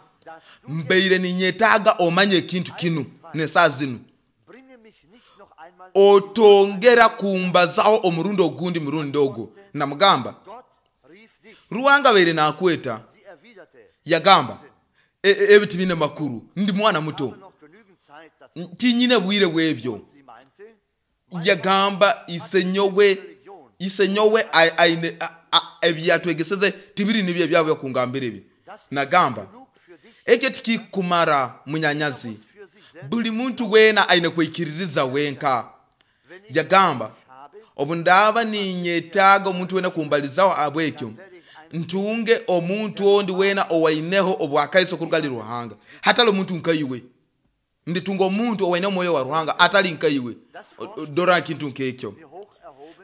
mbeire ninyetaaga omanye ekintu kinu nesaa zinu, otongera kumbazaho omurundi ogundi murundi ogwo. Namugamba Ruhanga baire nakweta. Yagamba ebiti bine makuru, ndi mwana muto tinyine bwire bwebyo. Yagamba isenyowe isenyowe aine ebyatwegeseze tibiri nibyo ebyabo kungambira ebi. Nagamba ekyo tikikumara munyanyazi, buli muntu wena aine kwikiririza wenka. Yagamba obu ndaba ninyetaaga omuntu wena kumbalizaho abwekyo, ntunge omuntu ondi wena owaineho obwakaiso kuruga Ruhanga, hatali omuntu nkaiwe. Nditunga omuntu owaine omwoyo wa Ruhanga atali nkaiwe. Dora kintu nkekyo,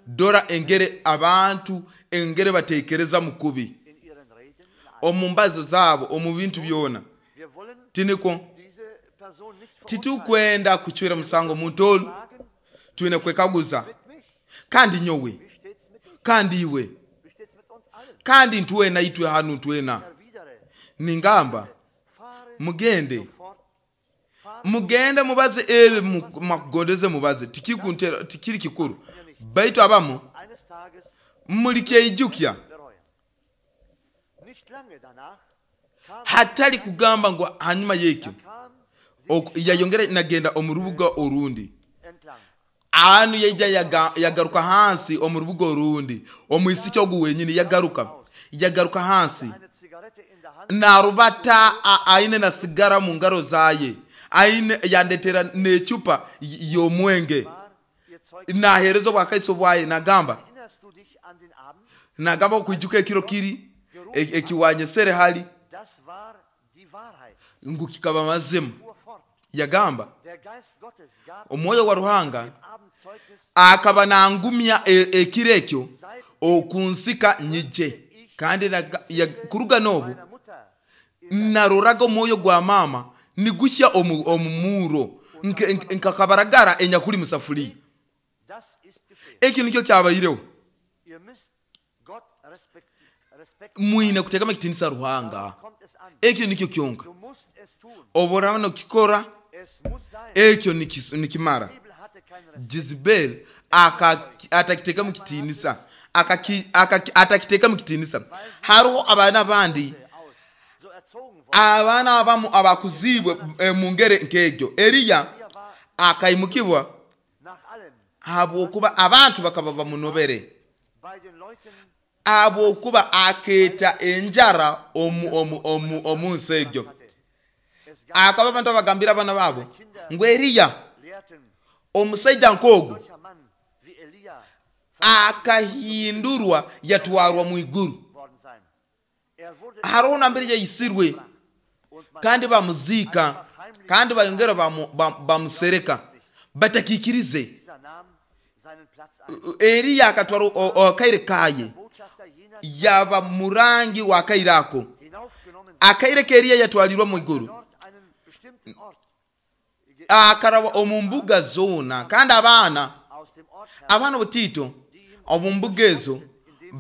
dora engere abantu engere batekereza mukubi omu mbazo zabo omu bintu byona. Tiniko titukwenda kuchwera musango omuntu olu, twine kwekaguza kandi nyowe kandi iwe kandi ntwena itwe hanu ntwena. Ningamba mugende mugende mubaze ebi makugondeze mubaze, tikikuntera tikiri kikuru. Baitu abamu Mulikyeijukya. Bereuen. Nicht lange danach kam, Hatali kugamba ngu hanyuma y'ekyo kam sie ok- yayongera nagenda omu rubuga orundi. entlang. Anu yaija yaga- yagaruka hansi omu rubuga orundi, omwisiki ogu wenyini yagaruka yagaruka hansi Eine Zigarette in der Hand, narubata a- aine na sigara mu ngaro zaye, aine yandetera n'ecupa y- y'omwenge, war ihr Zeug. nahereza obwakaiso bwaye nagamba Erinnerst du dich an den Abend? nagamba okwijuka ekiro kiri e- ekiwanyesere hali Das war die Wahrheit. ngu kikaba mazima. Fuhr fort. Yagamba Der Geist Gottes gab omwoyo wa Ruhanga dem Abendzeugnis akaba nangumya e- ekiro ekyo okunsika nyije kandi naga- ya- kuruga n'obu meiner Mutter naroraga omwoyo gwa mama niguhya omu omu muro Nke- nke- nkakabaragara enyakuli musafuliya. Das ist geschehen. Ekyo nikyo kyabaireho. Ihr müsst Gott respekt, Respekt. Mwine kuteekamu ekitinisa Ruhanga. Darauf kommt es an. Ekyo nikyo kyonka Du musst es tun. oba oraba nokikora, Es muss sein. ekyo nikis- nikimara. Die Bibel hatte keinen Respekt. Jezebel aka- atakiteekamu kitinisa, Akaki- akaki- atakiteekamu kitinisa. Hariho abaana abandi Aus. So erzogen worden. abaana abamu abakuziibwe eh, mu ngeri nk'egyo. Eriya akaimukibwa Nach allem habwokuba abantu bakaba bamunobere, bei den Leuten habwokuba akeeta enjara omu, omu, omu, omu nsi egyo. hatte. Es gab Akaba abantu abagambira abaana baabo ngu Eriya Lehrten, omusaija nk'ogu solcher Mann wie Elia akahindurwa yatwarwa mu iguru. worden sein. Er wurde Hariho nambere yayisirwe und man kandi bamuziika kandi bayongera bamu- bam- bamusereka batakikirize. dieser nahm seinen Platz ein. Eriya akatwara o- o- akaire kaye Botschafter jener yaba murangi wa akaire ako. hinaufgenommen Akaire ka Eriya yatwalirwa mu iguru, dort einen bestimmten Ort ge- akaraba omu mbuga zoona kandi abaana aus dem Ort heraus abaana butiito omu mbuga ezo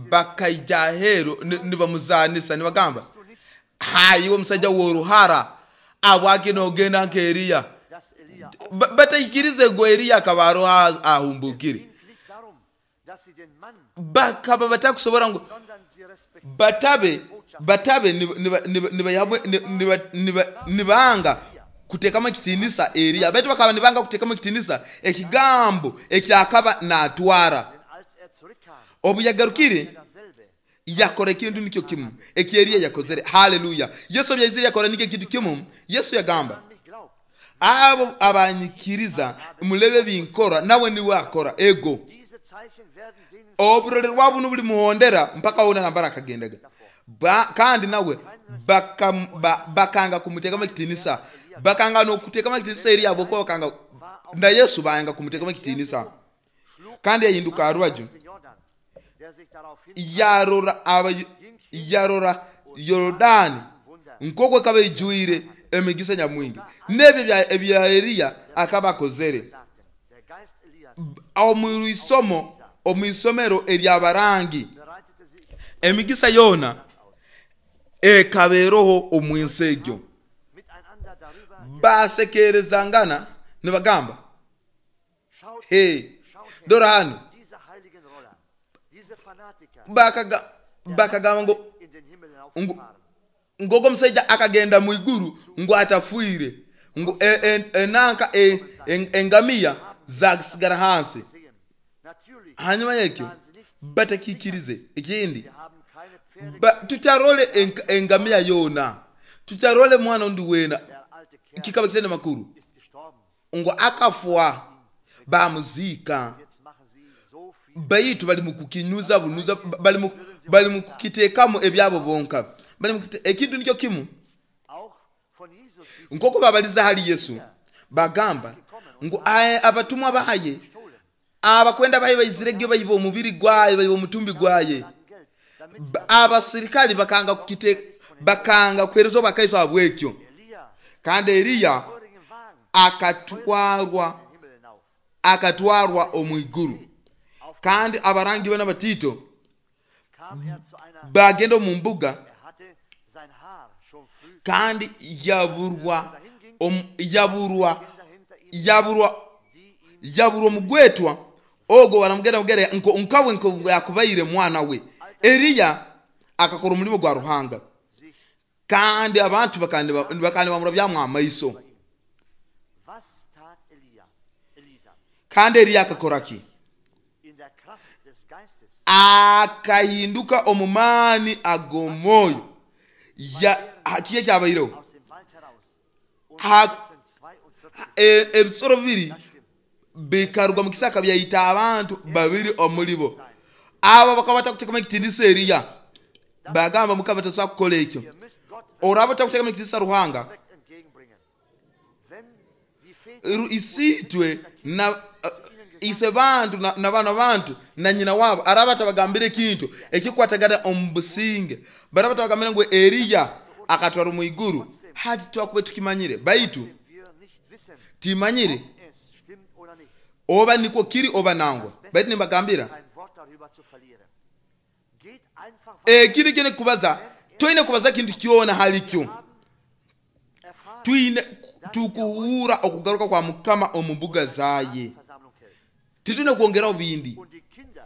bakaija aheeru ni- nibamuzanisa nibagamba, du nicht, hayiwe omusajja w'oruhara abwake nogenda nka Eriya. dass Elia Ba- bataikirize ngu Eriya akaba aroho ahumbukire. ging nicht darum, dass sie den Mann, Bakaba batakusobora ngu sondern sie respektierten batabe batabe nibanga kuteekamu ekitinisa Eriya, baitu bakaba nibanga kuteekamu ekitinisa ekigambo ekyakaba natwara. denn als er zurückkam, Obu yagarukire dasselbe yakora ekintu nikyo kimu eki Eriya yakozere. Haleluya! Yesu obu yaizire yakora nikyo ekintu kimu. Yesu yagamba, an mich glaubt, abo abanyikiriza mulebe binkora nawe niwe akora ego. diese Zeichen werden denen Oburore rwabu nubuli muhondera mpaka wona nambara akagendaga. Ba, kandi nawe baka, ba, bakanga kumuteekamu ekitinisa, bakanga n'okuteekamu ekitinisa Eriya habwokuba bakanga na Yesu bayanga kumuteekamu ekitinisa. Kandi yahinduka aha rubaju den Jordan, der sich daraufhin yarora aba yarora Yorodani nk'oku ekaba ijwire emigisa nyamwingi n'ebyo ebya- ebya Eriya akaba akozere. sagte, der Geist Elias Omu isomo omu isomero eryabarangi bereitete sich emigisa yoona ekabeeroho omu nsi egyo. miteinander darüber, Basekerezangana nibagamba, schaut, he schaut her, dora hano. diese heiligen Roller, diese Fanatiker Bakaga- bakagamba ngu in den Himmel Ngu- hinaufgefahren. ngogo omusajja akagenda mu iguru ngu atafiire, ngu e- e- enanka e- en- engamiya zasigara hansi. Sehen. Natürlich Hanyuma yekyo sahen sie nichts, batakikirize ekindi. wir haben keine Pferde, Ba- tutarole enk- engamiya yoona, tutarole mwana ondi weena. der alte Kerl Kikaba kitende makuru ist gestorben. ngu akafwa bamuziika. Jetzt machen sie so viel Baitu bali mukukinyuza bunuza, bali mu- bali mukukiteekamu ebyabo bonka. Bali mukite- ekintu nikyo kimu auch von Jesus, die nk'oku babaliza hali Yesu bagamba ngu aye abatumwa baye gestohlen, abakwenda baye baizirege bayiba omubiri gwaye bayiba omutumbi gwaye. Geld, damit sie Ba- abasirikali bakanga kukite bakanga kuhereza obwakaiso habwekyo. Elia Kandi Eriya feurigen Wagen akatwarwa in den Himmel hinauf. akatwarwa omu iguru. Kandi abarangi bana batito Kam er zu einer, bagenda omu mbuga er hatte sein Haar schon früh kandi yaburwa omu- yaburwa Kinder hinter ihm, yaburwa die ihm yaburwa omugwetwa Ogo baramugenda mugere nko nkawe nko yakubaire mwana we. Eliya akakora omulimo gwa Ruhanga, sich kandi abantu bakandi bakandi bamurabyamu amaiso. Was tat Elia? Elisa Kandi Eliya akakora ki? in der Kraft des Geistes. Akahinduka omu maani ag'omwoyo. Ya ha- kiye kyabaireho Aus dem Wald heraus und Ha- rissen zweiundvierzig. E- ebisoro bibiri Das stimmt. bikaruga mu kisaka byayita abantu babiri omulibo. Abo bakaba batakuteekamu ekitiinisa Eliya, bagamba Mukama tasobola kukola ekyo. Ihr müsst Gott Oraba otakuteekamu ekitiinisa Ruhanga, Respekt entgegenbringen. Wenn die Väter ru- isiitwe na uh, ise bantu na, na bana bantu na nyina wabo araba atabagambire ekintu ekikwatagana omu businge, baraba tabagambire ngu Eliya akatwara omu iguru, hati twakuba tukimanyire, baitu dem wir nicht wissen, timanyire es stimmt oder nicht, oba nikwo kiri oba nangwa, baitu nimbagambira kein Wort darüber zu verlieren. Geht einfach weiter. ekindi kyone kubaza, twine kubaza kintu kyona halikyo. Haben erfahren, Twine tukuhura okugaruka kwa Mukama omu mbuga zaye, Versammlung hält. titwine kwongeraho bindi. Und die Kinder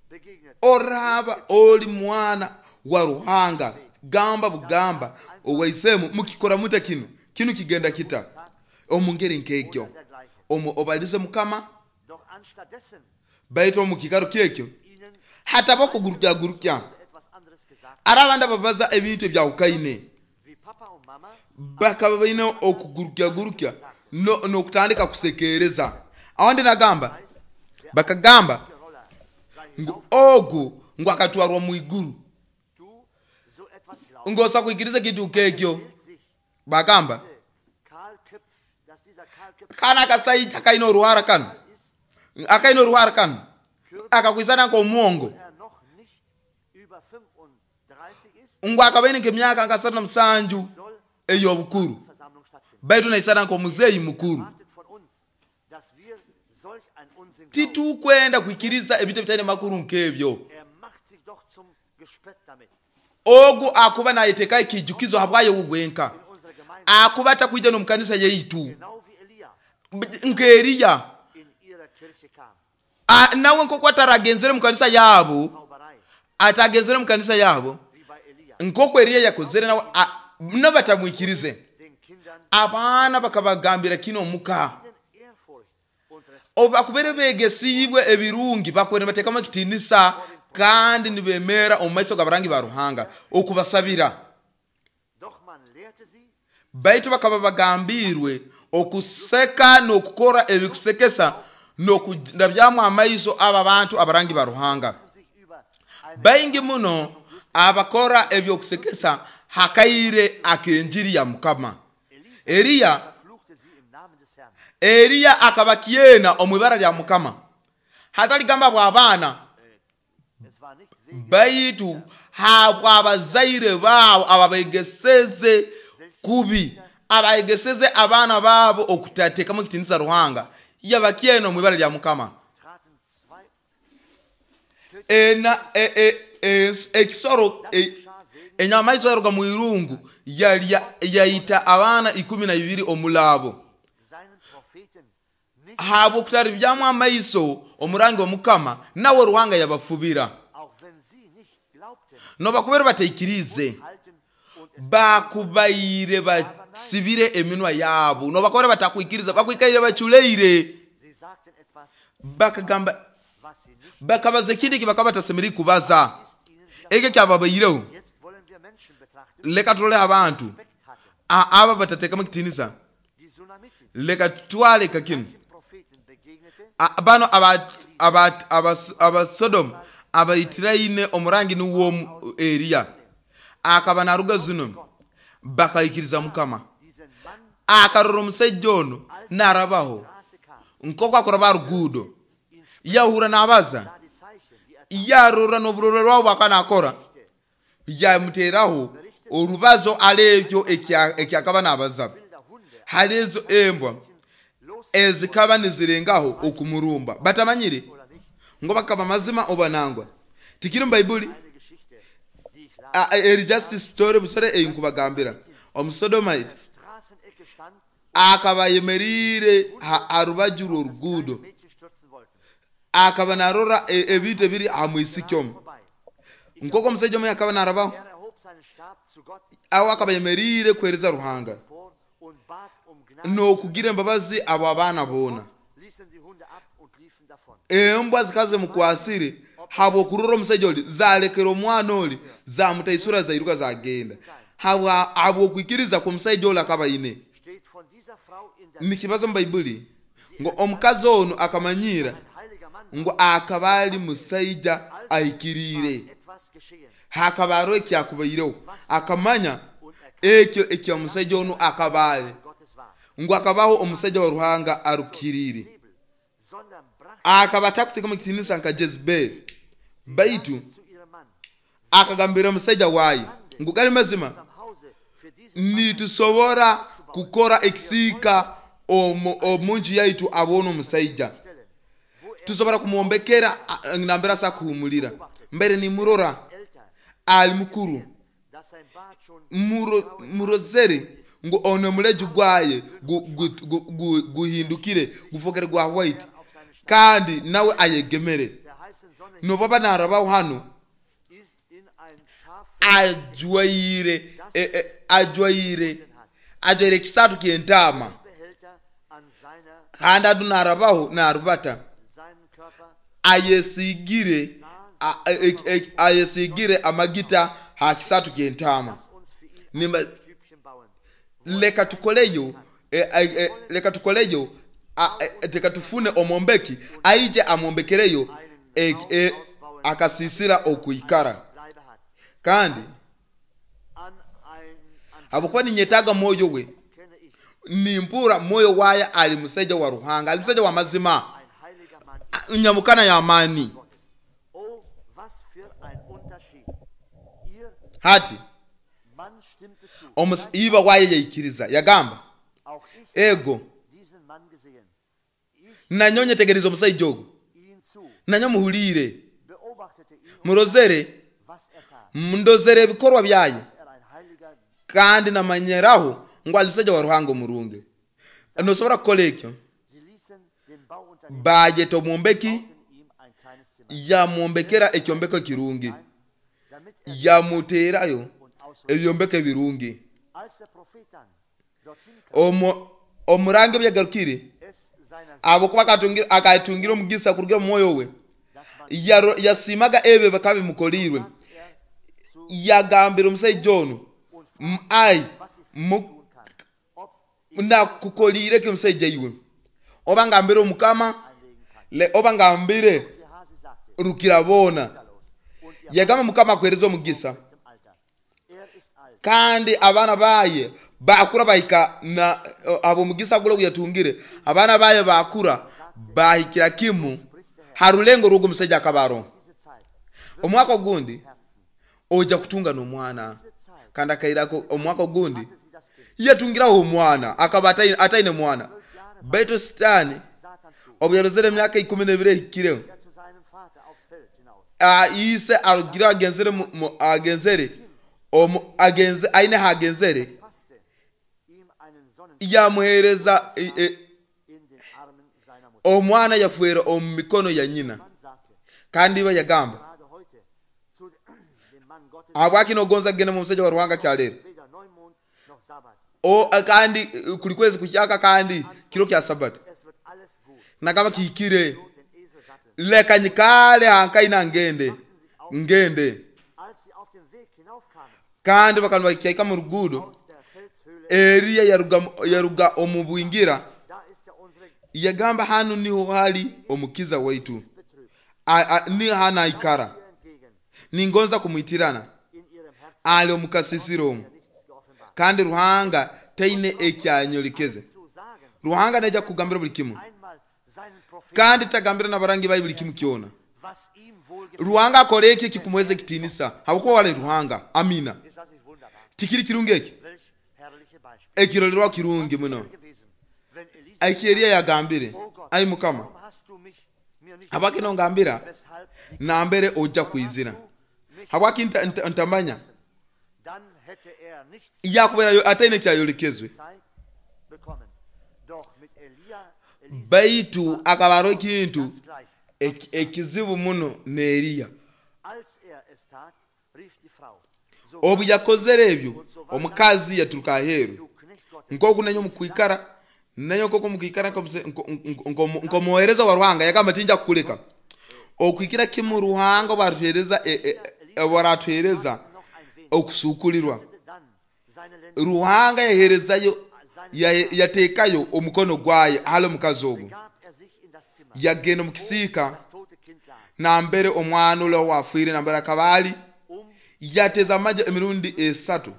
begegnet Oraba oli mwana wa Ruhanga, gamba bugamba owaisemu mukikora muta kino kino kigenda kita omu ngeri nk'ekyo, oder dergleichen. omu obalize Mukama. Doch anstattdessen Baitu omu kikaro kyekyo ihnen hataba okugurukyagurukya, etwas anderes gesagt, ari abandi ababaza ebintu ebyawukaine wie Papa und Mama bakaba baine okugurukyagurukya no- n'okutandika kusekereza. Awandi nagamba heißt, der bakagamba Roller sei ngu hinauf, ogu ngu akatwarwa mu iguru, du so etwas glaubst, ngosa kwikiriza kintu kekyo. hält sich Bagamba diese Kahlköpf, dass dieser Kahlköpf kana akasaija kaine oruhara kano, ist, akaine oruhara kano akakwisana nk'omwongo, er noch nicht über fünfunddreißig ist, ngu akabaine nk'emyaka nka asatu na musanju soll ey'obukuru, Versammlung stattfinden. baitu naisana nk'omuzeeyi mukuru. Erwartet von uns, dass wir solch ein Unsinn glauben. Titukwenda kwikiriza ebintu ebitaine makuru nk'ebyo. Er macht sich doch zum Gespött damit. Ogu akuba nayeteeka ekijukizo habwayo gwenka, In unserer Gemeinde, akuba atakwija n'omukanisa yaitu genau wie Elia nka Eliya in ihrer Kirche kam. A- nawe nk'oku ataragenzere mu kanisa yaabo, Zauberei, atagenzere mu kanisa yaabo wie bei Elia. nk'oku Eliya yakozere, nawe a- nabo batamwikirize. Den Kindern Abaana bakabagambira kino omuka, ihnen Ehrfurcht und Respekt bakubere begesiibwe ebirungi, bakubere nibateekamu ekitiinisa kandi nibemeera omu maiso g'abarangi ba Ruhanga okubasabira. Doch man lehrte sie, Baitu bakaba bagambirwe okuseka n'okukora ebikusekesa n'okurabyamu amaiso abo abantu abarangi ba Ruhanga. sich über eine Baingi muno abakora ebyokusekesa hakaire ak'enjiri ya Mukama. Elisa Eliya verfluchte sie im Namen des Herrn. Eliya akaba kyena omu ibara lya Mukama, hataligamba bw'abaana, Es war nicht wegen baitu habw'abazaire baabo ababegeseze kubi, abaegeseze abaana baabo okutateekamu ekitiinisa Ruhanga, yabakyena omu ibara lya Mukama. traten zwei Ena e, e, e, ekisoro e, enyamaiso yaruga mu irungu yalya yayita abaana ikumi na bibiri omulaabo seinen Propheten nicht, habw'okutaribyamu amaiso omurangi wa Mukama, nawe Ruhanga yabafubira. auch wenn sie nicht glaubten, Nobakubere bataikirize, halten und es bakubaire basibire eminwa yaabo, nobakubere batakwikiriza, bakwikaire baculeire, sie sagten etwas, bakagamba was sie nicht bakabaza ekindi eki bakaba batasemerire kubaza. ist ihnen wieder. Ekyo kyababaireho. Jetzt wollen wir Menschen betrachten, Leka tulole abantu Respekt hatten. A- aba batateekamu ekitiinisa, Die Sunamitin, leka tutwale kakino dem Propheten begegnete, A- bano abasodomu abaitiraine omurangi niwo Eliya akaba naruga zino, bakaikiriza Mukama. diesen Mann Akarora omusaija ono narabaho Straße kam, nk'oku akuraba ruguudo, ihn yahura nabaza, sah die Zeichen, die er yarora n'oburorero bwabo bwaka nakora, yamuteeraho orubazo alebyo ekya- ekyakaba nabaza. wilder Hunde Hali ezo embwa los ezikaba nizirengaho okumurumba, batamanyire oder nicht, ngo bakaba mazima oba nangwa. Tikiri mu Baibuli eine Geschichte, die ich las. A- a- eri just story busore einkubagambira. Omusodomite Straßenecke stand, akaba ayemerire ha- ha rubaju rw'oruguudo, Mädchen stürzen wollten. Akaba narora e- ebintu ebiri aha mwisiki omu Vorbei. nk'oku omusajja omwe akaba narabaho Er erhob seinen Stab zu Gott aho akaba yemeriire kuhereza Ruhanga vor und bat um Gnade. n'okugira embabazi abo abaana boona. Ließen die Hunde ab und liefen davon. Embwa zikaza zimukwasire habw'okurora omusajja oli zalekera omwana oli zamutaisura zairuka zagenda habwa habw'okwikiriza kw'omusajja oli akaba aine. Steht von dieser Frau in der Nikibazo mu Baibuli ngu omukazi onu akamanyira ein heiliger Mann ngu akaba ali musaija ahikiriire etwas geschehen hakaba hariho ekyakubaireho akamanya ekyo ekyomusajja onu akaba ali Gottes war. ngu akabaho omusajja wa Ruhanga arukiriire Zebel, sondern brachte akaba atakuteekamu ekitiinisa nka Jezebeli baitu zu ihrem Mann akagambira omusajja waaye ngu gali mazima am Hause für diesen nitusobora kukora ekisiika omu omu nju yaitu abone omusaija Stellen, wo er tusobora kumwombekera a- nambere asa kuhumulira mbere nimurora älter, ali mukuru dass sein Bart schon Muro- murozere ngu ono omuleju gwaye gu- gu- gu- gu- guhindukire gufokere gwa white auf seinen Stab kandi nawe ayegemere der heißen Sonne nobaba narabaho hano ist in ein Schaf ajwaire e- e- ajwaire ajwaire ekisatu ky'entaama Behälter an seiner kandi adu narabaho narubata seinen Körper ayesigire a- e- e- ayesigire amagita ha kisatu ky'entaama. lass uns für ihn Nimba ein Stübchen bauen. leka tukoleyo e, e, e, leka tukoleyo a- e, leka tufune omwombeki aije amwombekereyo e, e, akasisira okuikara Bleibe hat. kandi An ein an habwokuba ninyetaaga mwoyo we kenne ich nimpura mwoyo waye ali musaija wa Ruhanga ali musaija wa mazima ein heiliger Mann nyamukana y'amaani. Gottes. Oh, was für ein Unterschied. Ihr Hati Mann stimmte zu. omus- iba waye yaikiriza yagamba Auch ich ego diesen Mann gesehen. Ich nanyo nyetegereza omusaija ogu ihn zu, nanyo muhuliire beobachtete ihn und murozere was er tat. ndozere ebikorwa byaye Dass er ein heiliger kandi namanyeraho ngu ali musajja wa Ruhanga omurungi nosobora kukola ekyo. Sie ließen den Bauunternehmer Bayeta omwombeki bauten ihm ein kleines Zimmer yamwombekera ekyombeko ekirungi ein, damit er yamuteerayo und ausruhte. ebyombeko ebirungi. Als der Prophet dann dorthin kam, Omu- omurangi ebyagarukire es seiner habwokuba akatungira akatungira omugisa kurugira mu mwoyo we dass man Yaro- yasiimaga ebyo bikaba bimukolirwe er zu yagambira omusajja ono und "M- ai was ich mu- tun kann, ob ich nakukoliire ki omusajja iwe oba ngambire omukama einlegen kann. le- oba ngambire Gehasi sagte, rukira boona los und ihr yagamba mukama akuhereza omugisa mit dem Alter. Er ist alt, kandi abaana baye bakura bahika na abo omugisa gula oguyatungire abaana baye bakura bahikira kimu ha rulengo rw'ogwo omusajja akaba aroho. diese Zeit Omwaka ogundi Herzen. ojja kutunga n'omwana Diese Zeit kandi akairako omwaka ogundi hatte sie das Kind yatungiraho omwana akaba ataine ataine mwana baitu sitaani Satan zu, obu yarozere emyaka ikumi n'ebiri ehikireho der zu seinem Vater aufs Feld hinaus. ah, ise arugire agenzere mu- mu- agenzere omu agenze aine hagenzere Passte ihm einen Sonnenschein yamuhereza e, e, in den Armen seiner Mutter. omwana yafuera omu mikono ya nyina Mann sagte, kandi iba yagamba gerade heute zu dem Mann Gottes habwaki nogonza kugenda mu musajja wa Ruhanga kyaleero weder Neumond noch Sabbat. o kandi eh, kuli kwezi kukyaka kandi kiro kya sabati Es wird alles gut. nagamba kihikire So den Esel satteln. leka nyikale hankaina ngende ngende Als sie auf dem Weg hinaufkamen kandi bakaba bakyaika mu ruguudo aus der Felshöhle, Eriya yaruga yaruga omu bwingira da ist ja unsere yagamba hanu niho hali omukiza waitu betrübt. A- a- ni hano aikara Ihr entgegen ningonza kumwitirana in ihrem Herzen ali omukasisiro omu nichts geoffenbart. kandi Ruhanga taine ekyanyolekeze Zu sagen, Ruhanga naija kugambira buli kimu einmal seinen Propheten, kandi tagambira n'abarangi bayi buli kimu kyona was ihm wohlgefällt. Ruhanga akora eki ekikumuheza ekitiinisa habwokuba wali Ruhanga amina. Ist das nicht wunderbar? Tikiri kirungi eki Welch herrliche Beispiel. ekirorerwa kirungi muno Gewesen, wenn Elisa, eki Eriya yagambire oh Gott, ai mukama warum hast du mich mir nicht habwaki nongambira weshalb sie nambere ojja kwizira mich, habwaki nta- nta- ntamanya dann hätte er nichts yakubeerayo ataine kyayolekezwe Zeit bekommen. Doch mit Elia, Elisa baitu akaba hariho ekintu ganz gleich. Eki- ekizibu muno ne Eliya Als er es tat, rief die Frau, so obu yakozere ebyo omukazi yaturuka aheeru du Knecht Gottes, nkoku nanyo mukwikara nanyo nkoku mukwikara nkomuse- nko- nko- nko- nkomuhereza wa Ruhanga yagamba tinja kukuleka okwikira kimu Ruhanga obaratuhereza e- e- e- obaratuhereza noch ein wenig, okusukulirwa dann seine Lenden Ruhanga yaherezayo ya- yateekayo omukono gwaye hali omukazi ogwo gab er sich in das Zimmer, yagenda omu kisiika das tote Kind lag, nambere omwana ula wafiire nambere akaba ali um yateza amajja emirundi esatu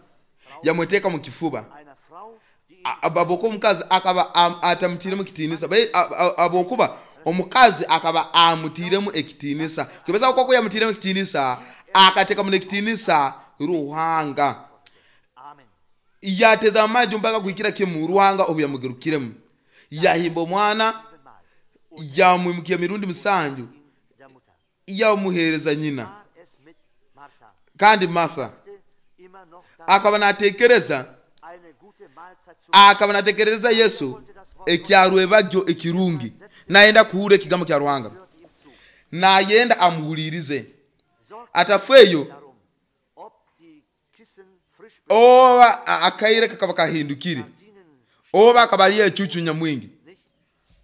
yamweteeka mu kifuba einer Frau, die ihn A- abokuba omukazi akaba am- atamutiiremu kitiinisa Bai- a- a- abokuba omukazi akaba amutiiremu ekitiinisa kibesa koko yamutiiremu ekitiinisa akateekamu n'ekitiinisa Ruhanga Amen. yateza amaju mpaka kuhikira kimu Ruhanga obu yamugarukiremu yahimba omwana Mal yamwimukia emirundi musanju der Mutter. yamuheereza nyina War es mit Martha, kandi Martha immer noch da akaba natekereza eine gute Mahlzeit zu akaba natekereza Yesu ekyarwebagyo ekirungi nayenda kuhura ekigambo kya Ruhanga hörte ihm zu. nayenda amuhulirize Sorgte atafeeyo darum, ob die Kissen frisch oba a- akaire kakaba kahindukire Gardinen oba akaba ali ecucu nyamwingi nicht.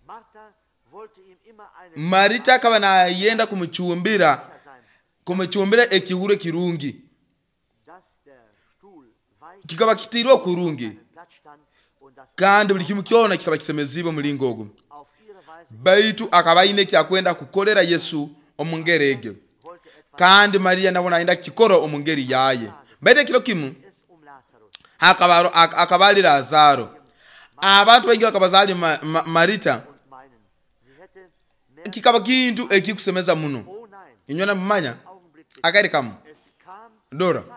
Martha wollte ihm immer eine Marita akaba nayenda kumucumbira sein, kumucumbira ekihuro ekirungi dass der Stuhl weich kikaba kitiirwe okurungi am Platz stand und dass kandi buli kimu kyona kikaba kisemezibwe omulingo ogwo auf ihre Weise baitu akaba aine ekyakwenda kukolera Yesu omu ngeri egyo wollte etwas kandi Mariya nabo nayenda kukikora omu ngeri yaye baitu ekiro kimu es um Lazarus. akaba ak- akaba ali Lazaro abantu baingi bakabaza ali Ma- Ma- Marita Und meinen, sie hätte mehr. kikaba kintu ekikusemeza muno Oh nein, inywe namumanya Augenblick bitte. akaire kamu Es kam dora Zeit,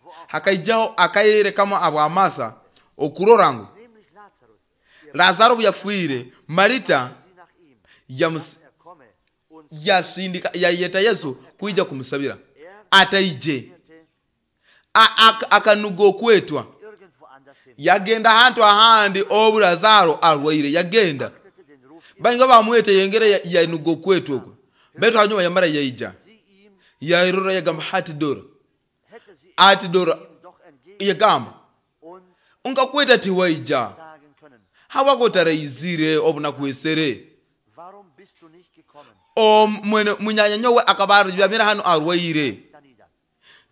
wo auch hakaijaho akaire kamu abwa Martha okurora ngu nämlich Lazarus, ihr Lazaro obu yafiire Marita sie nach ihm, yamus- er komme und yasindika yayeta Yesu kwija kumusabira ataije irrte A- ak- akanuga okwetwa irgendwo anders hin. yagenda ahantu ahandi obu Lazaro arwaire yagenda Achtete den Ruf baingi bamwete yengere ya- yanuga okwetwa okwo baitu hanyuma yamara yaija sie ihm, yairora yagamba hati dora hätte sie ati dora ihm doch entgegen yagamba und nkakweta tiwaija sagen können, hawako otaraizire obu nakwesere warum bist du nicht gekommen? O- mwene munyanya nyowe akaba aryamire hano arwaire Da nieder.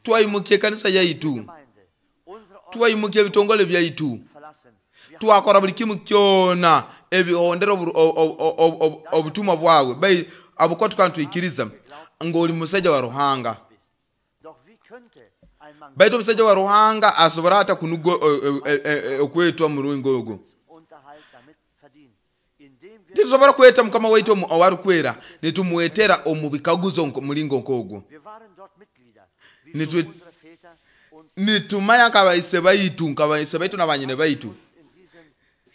twaimukia ekanisa yaitu Gemeinde, unsere Ordnung twaimukia ebitongole byaitu verlassen. Wir twakora buli kimu kyona ebihondera obu- o- o- o- o- obutumwa bwawe bai abukuba tukaba nitwikiriza ng'oli musajja wa Ruhanga bist. Doch wie könnte ein Mann baitu omusajja wa Ruhanga asobora ata kunuga o- o- e- e- okwetwa muringo ogwo Unterhalt damit verdienen, indem wir, titusobora kweta mukama waitu omu- owarikwera nitumwetera omu bikaguzo nko- muringo nk'ogwo wir waren dort Mitglieder, wie Nitwe- schon unsere Väter und nitumanya nkabaise baitu nkabaise baitu nabanyine baitu uns in diesem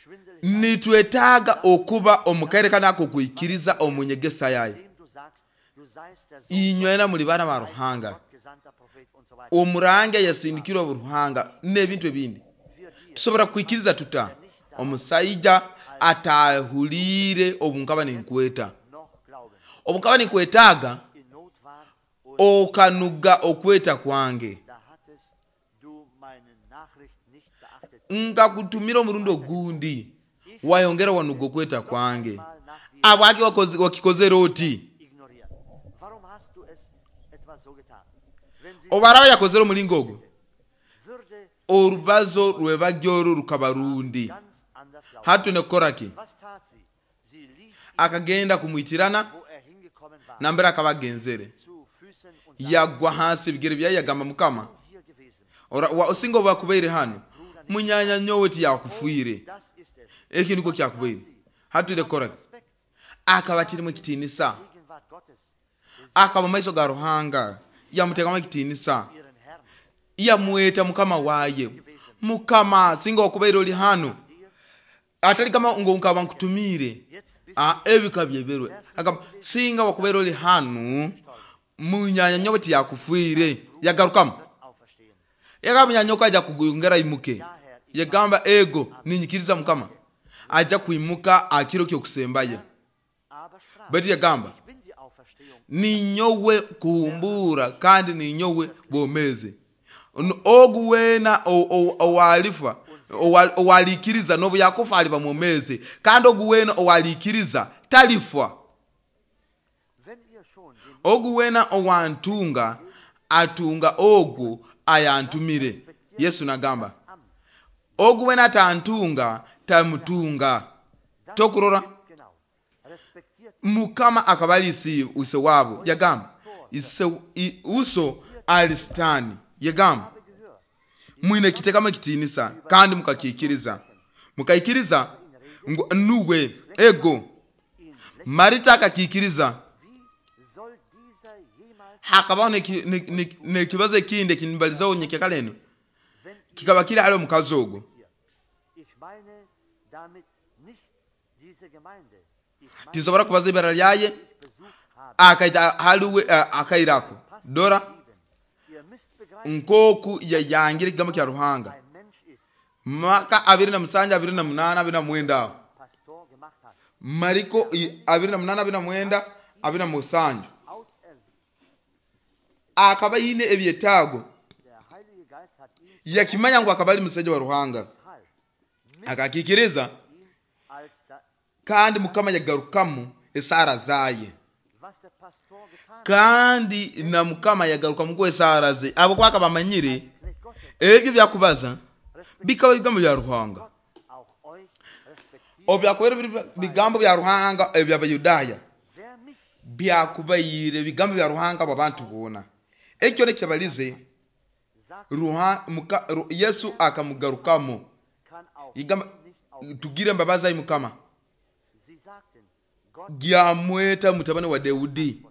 Schwindel, nitwetaaga okuba omu kaire kano akokwikiriza omu nyegesa yaye dem du sagst, du seist der Sohn inywena muli baana ba Ruhanga Gott gesandter Prophet und so weiter. omurangi ayasindikirwe Ruhanga n'ebintu ebindi Wir dir tusobora kwikiriza tuta omusaija atahuliire obu nkaba ninkweta noch glauben, obu nkaba ninkwetaaga in Not war und okanuga okweta kwange da hattest du meine Nachricht nicht beachtet. nkakutumira omurundi ogundi wayongera wanuga okweta kwange Mal nach dir abwaki wakoze- wakikozere oti ignoriert. Warum hast du es etwa so getan? Wenn sie obaraba yakozere omulingo ogwo würde orubazo rwebajja olwo rukaba rundi ganz anders laufen. hati nekukoraki Was tat sie? Sie lief, akagenda kumwitirana wo er hingekommen war, nambere akaba agenzere zu Füßen und sagte, yagwa hansi ebigere byaye yagamba mukama hier gewesen. ora- wa- osinga obu bakubaire hano munyanya nyowe tiyakufiire Das ist es. eki nikwo kyakubaire hati nekukoraki Respekt, akaba kirimu ekitiinisa Gegenwart Gottes, akaba mu maiso ga Ruhanga yamuteekamu ekitiinisa ihren Herrn, yamweta mukama waaye mukama singa wakubaire oli hano dir, atali kama ngo nkaba nkutumiire jetzt bist Ah, ebika byeberwe agamba singa wakubaire oli hano munyanya nyowe tiyakufiire yagarukamu du auferstehen. yagamba munyanya nyowe ajja kugongera imuke yagamba ego ninyikiriza mukama ajja kwimuka akiro kyokusembayo Aber sprach, baitu yagamba ich bin die Ninyowe kuhumbura kandi ninyowe bwomezi. Ogu wena owalifa owalikiriza nobu yakufa aliba mwomezi, kandi ogu wena owalikiriza talifwa. Ogu wena owantunga atunga ogu ayantumire. Yesu nagamba ogu wena atantunga tamutunga. Tokurora Mukama akabalisi use wabo yagamba ise uso alistani yagamba mwine kitekamo kitinisa kandi mukakikiriza mukaikiriza nuwe ego. Marita akakikiriza. Hakabaho nekibazo ekindi ekinibalizaho nyekekale eno kikaba kiri hali omukazi ogwo. Tinsobora kubaza ibara lyaye akaita haliwe akairako dora nkoku yayangire ekigambo kya Ruhanga maka abiri na musanja abiri na munana abiri na mwenda Mariko abiri na munana abiri na mwenda abiri na musanju akaba yine ebyetaago yakimanya ngu akaba ali musajja wa Ruhanga akakikiriza kandi Mukama yagarukamu esara zaye kandi na Mukama yagarukamu ku esara ze abo kwaka bamanyire ebyo byakubaza bikaba bigambo bya Ruhanga obyakwera bigambo bya Ruhanga ebyabayudaya byakubayire bigambo bya Ruhanga abantu bona ekyo nekyabalize Ruha muka, ru, Yesu akamugarukamu igamba tugire mbabaza ayi Mukama gyamweta mutabani wa Daudi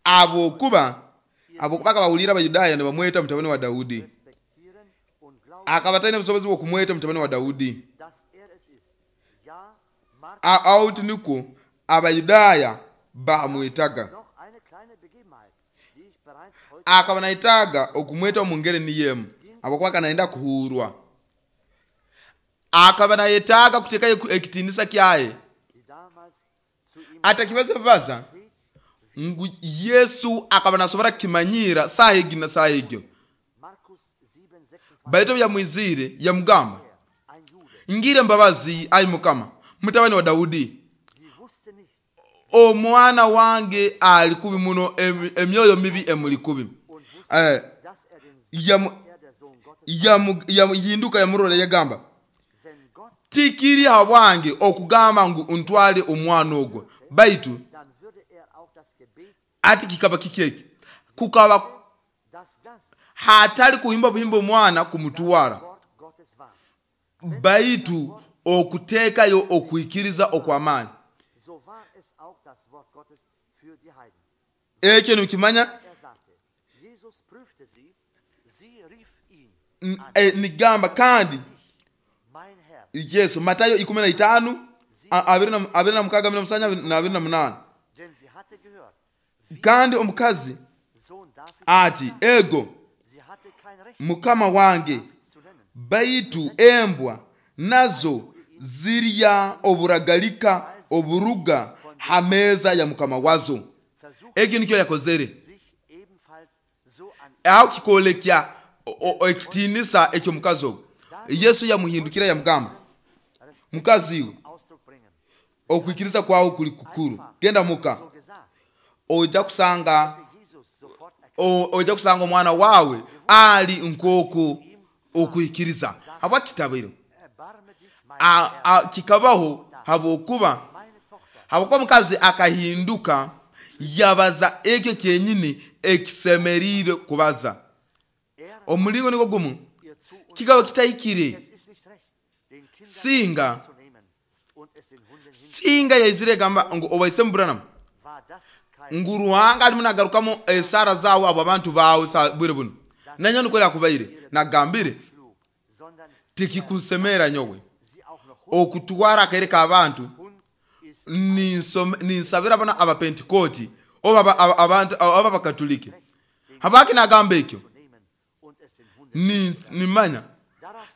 abo kuba abo kubaka bawulira abayudaya ne bamweta mutabani wa Daudi akabatana obusobozi bw'okumweta mutabani wa Daudi out niko abayudaya bamwetaga akaba naitaga okumweta omungere niyemu abo kwaka naenda kuhurwa akaba nayetaga kuteka ekitinisa kyaye atakibaza baza ngu Yesu akaba nasobora kimanyira saha egi na saha egyo baito yamwizire yamugamba ngire mbabazi ayi Mukama mutabani wa Daudi omwana wange ali kubi muno emyoyo mibi emuli kubi eh yamu yinduka yamurora yagamba tikiri habwange okugamba ngu untwale omwana ogwo baitu ati kikaba kikeki kukaba hatali kuhimba buhimba omwana kumutwara baitu okutekayo okuikiriza okwamani ekyo nikimanya nigamba kandi Yesu Matayo ikumi na itano abiri na mukaga abiri na musanja na abiri na munana kandi omukazi ati ego Mukama wange baitu embwa nazo zirya oburagalika oburuga hameza ya Mukama wazo. Ekyo nikyo yakozere aho kikolekya ekitinisa ekyo mukazi ogwo. Yesu yamuhindukira yamugamba mukazi iwe okwikiriza kwawe kuli kukuru genda muka ojja kusanga ojja kusanga omwana wawe ali nkoku okwikiriza habwa kitabiro kikabaho habokuba habokuba mukazi akahinduka yabaza ekyo kyenyini ekisemerire kubaza omulingo niko gumu kikaba kitahikire singa singa yaizire gamba ngu obaise Branham ngu Ruhanga alimu nagarukamu esara zawo abo abantu bawe bwire buno nanyo nukwera kubaire nagambire tikikusemera nyowe okutwara akareka abantu ninsabira bana abapentikoti oba abantu aba bakatolike habaki nagamba ekyo nimanya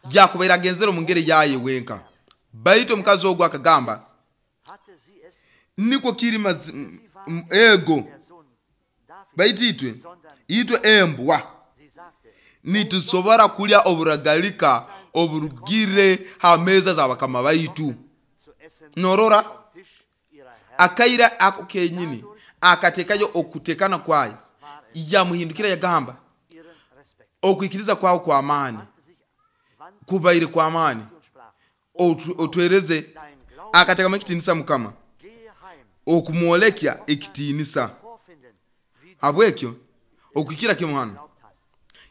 jakubaira genzero mungere yaye wenka baitu omukazi ogwo akagamba niko kiri M- ego baitu itwe itwe embwa nitusobora kulya oburagalika oburugire ha meza za bakama baitu. Norora akaira ako kenyini akatekayo okutekana kwayo, yamuhindukira yagamba okwikiriza kwawe kwa maani kubaire kwa maani, otwereze. Akatekamu ekitinisa Mukama okumwolekya ekitinisa. Habwekyo okwikira kimu hano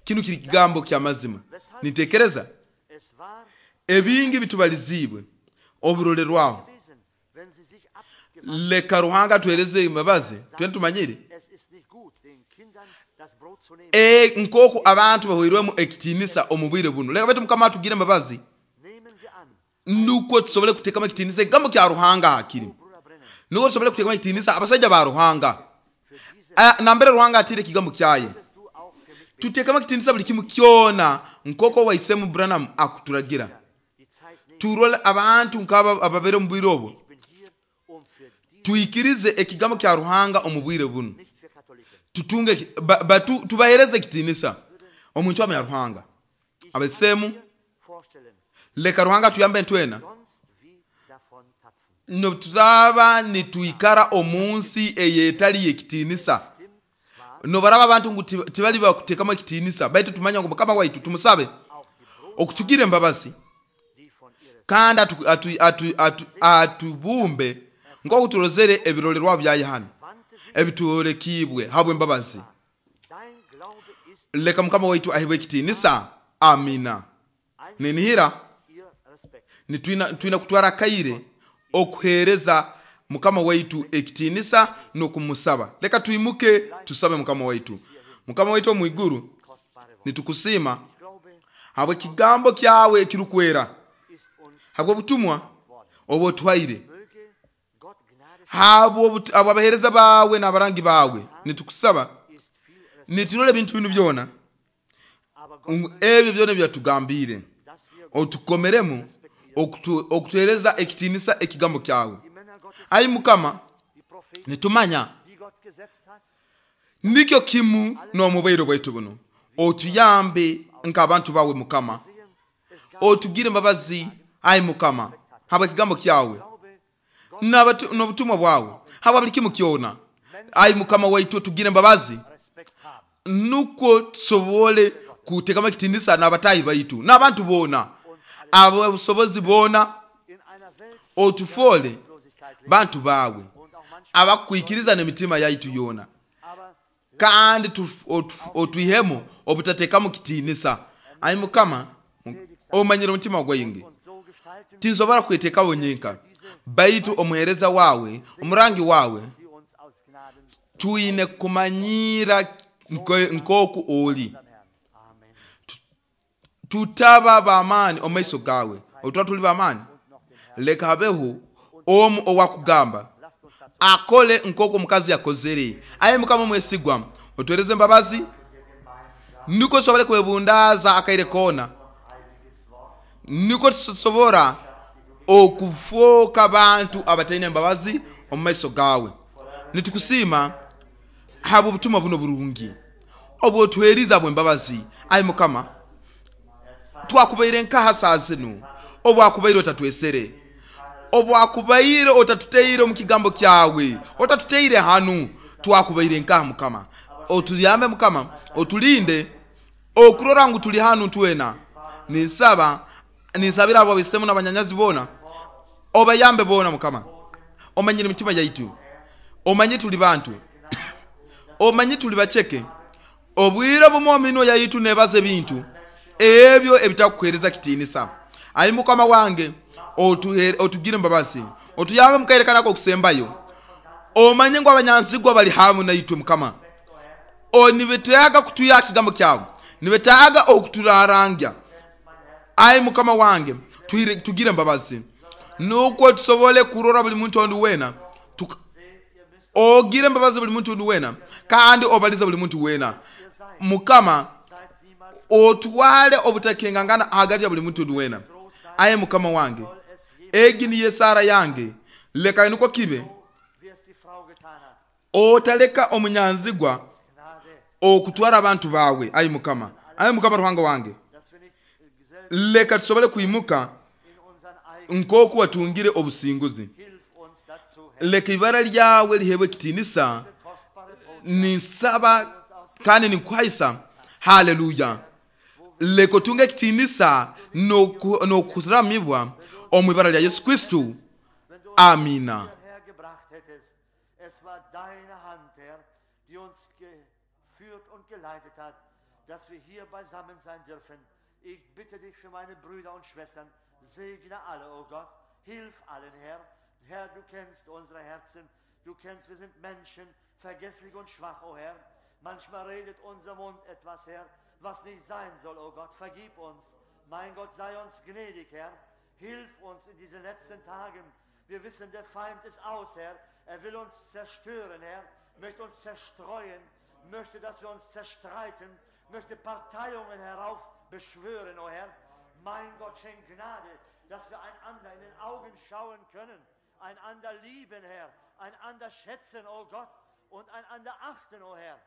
kinu kiri kigambo kya mazima. Nitekereza ebingi bitubalizibwe oburolerwaho. Leka Ruhanga tuhereze imbabazi twene tumanyire e nkoku abantu bahoirwemu ekitinisa omu bwire buno. Leka betu Mukama atugire imbabazi nukwo tusobole kutekamo ekitinisa ekigambo kya Ruhanga hakiri, nukwo tusobole kutekamo ekitinisa abasajja ba Ruhanga nambere Ruhanga atire ekigambo kyaye. Tutekamo ekitinisa buli kimu kyona nkoko waisemu Branham akuturagira. Turole abantu nkaba ababere mu bwire obwo, tuikirize ekigambo kya Ruhanga omu bwire buno, tutunge ba, ba, tu, tubahereze ekitinisa omuntu ya Ruhanga abasemu. Leka Ruhanga tuyambe ntwena no tutaba nituikara omunsi eyetali ekitinisa. No baraba abantu ngu tibali bakutekamo ekitinisa, baitu tumanya ngu Mukama waitu tumusabe okutugire embabazi kandi atubumbe atu, atu, atu, atu nko turozere ebirolerwa bya Yohana ebiturekibwe habwe embabazi. Leka Mukama waitu ahibwe ekitinisa. Amina. Ninihira nitwina twina kutwara kaire okuhereza Mukama waitu ekitinisa nokumusaba. Leka tuimuke tusabe Mukama waitu. Mukama waitu omwiguru, nitukusima habwe kigambo kyawe kirukwera, habwe obutumwa obotwaire, habwe abahereza bawe n'abarangi bawe. Nitukusaba niturole bintu binu byona ebyo byona byatugambire, otukomeremu okutuhereza ekitinisa ekigambo kyawe. Ai Mukama, nitumanya nikyo kimu n'omubairo bwaitu buno, otuyambe nk'abantu bawe Mukama, otugire embabazi ai Mukama habwe ekigambo kyawe n'obutumwa bwawe habwa buli kimu kyona. Ai Mukama waitu, otugire embabazi nuko tusobole kutekamo ekitinisa n'abatahi baitu n'abantu bona ababusobozi bona, otufole bantu bawe abakwikiriza n'emitima yaitu yona, kandi otuihemo obutatekamu kitinisa. Ai Mukama, omanyire omutima gwingi, tinsobora kwetekawo nyenka, baitu omuhereza wawe omurangi wawe tuine kumanyira nkoku oli. Tutaba bamani omaiso gawe, otuba tuli bamani. Leka habeho omu owakugamba akole nkoko omukazi yakozere. Aye Mukama mwesigwa, otuhereze embabazi niko tusobole kwebundaza akaire kona, niko tusobora okufoka bantu abataine embabazi omu maiso gawe. Nitukusima habwo obutumwa buno burungi obwotuheriza bwembabazi. Aye Mukama, twakubaire nkaha saa zinu obwakubaire otatwesere, obwakubaire otatuteire omu kigambo kyawe, otatuteire hanu, twakubaire nkaha Mukama. Otuyambe Mukama, otulinde okurora ngu tuli hanu twena. Ninsaba ninsabira abo abisemu n'abanyanyazi bona, obayambe bona Mukama. Omanyire emitima yaitu, omanye tuli bantu, omanye tuli baceke. Obwire bumwe ominwa yaitu nebaza ebintu ebyo ebitakuhereza kitinisa. Ayi Mukama wange, otugire embabazi, otuyambe mukaire kanako okusembayo. Omanye ngu abanyanzigwa bali hamu naitwe Mukama, onibetaaga kutuya kigambo kyawe, nibetaaga okuturarangya. Ayi Mukama wange, tugire embabazi nukwo tusobole kurora buli muntu ondi wena. Ogire embabazi buli muntu ondi wena, kandi obalize buli muntu wena Mukama. Otwale obutakengangana hagati ya buli muntu wena. Aye Mukama wange, egi niyo esara yange, leka nukwo kibe. Otaleka omunyanzigwa Gnade, okutwara abantu bawe, ayi Mukama, ayi Mukama Ruhanga wange. Dass wir nicht äh, selbst Leka tusobole kwimuka in unseren eigenen nk'oku watungire obusinguzi. Hilf uns dazu, Herr, Leka ibara lyawe lihebwe ekitiinisa. Kostbare Botschaft, Ninsaba kandi ninkuhaisa, haleluya. Leka otunge ekitiinisa n'oku- n'okuramibwa omu ibara lya Yesu Kristo. Wenn du uns Amina. hierher gebracht hättest. Es war deine Hand, Herr, die uns geführt und geleitet hat, dass wir hier beisammen sein dürfen. Ich bitte dich für meine Brüder und Schwestern, segne alle, o Gott, hilf allen, Herr. Herr, du kennst unsere Herzen, du kennst, wir sind Menschen, vergesslich und schwach, o Herr. Manchmal redet unser Mund etwas, Herr, was nicht sein soll, o Gott. Vergib uns. Mein Gott, sei uns gnädig, Herr. Hilf uns in diesen letzten Tagen. Wir wissen, der Feind ist aus, Herr. Er will uns zerstören, Herr. Möchte uns zerstreuen, möchte, dass wir uns zerstreiten, möchte Parteiungen heraufbeschwören, o Herr. Mein Gott, schenk Gnade, dass wir einander in den Augen schauen können, einander lieben, Herr, einander schätzen, o Gott, und einander achten, o Herr.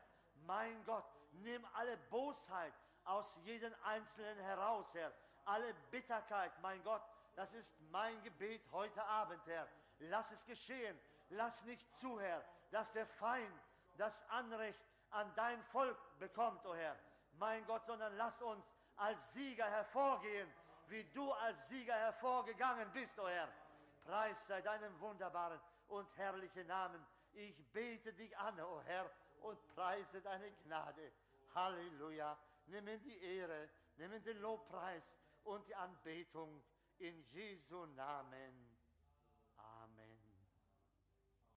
Mein Gott, nimm alle Bosheit aus jedem Einzelnen heraus, Herr. Alle Bitterkeit, mein Gott, das ist mein Gebet heute Abend, Herr. Lass es geschehen. Lass nicht zu, Herr, dass der Feind das Anrecht an dein Volk bekommt, o Herr. Mein Gott, sondern lass uns als Sieger hervorgehen, wie du als Sieger hervorgegangen bist, o Herr. Preis sei deinem wunderbaren und herrlichen Namen. Ich bete dich an, o Herr, und preise deine Gnade. Halleluja. Nimm in die Ehre, nimm in den Lobpreis und die Anbetung in Jesu Namen.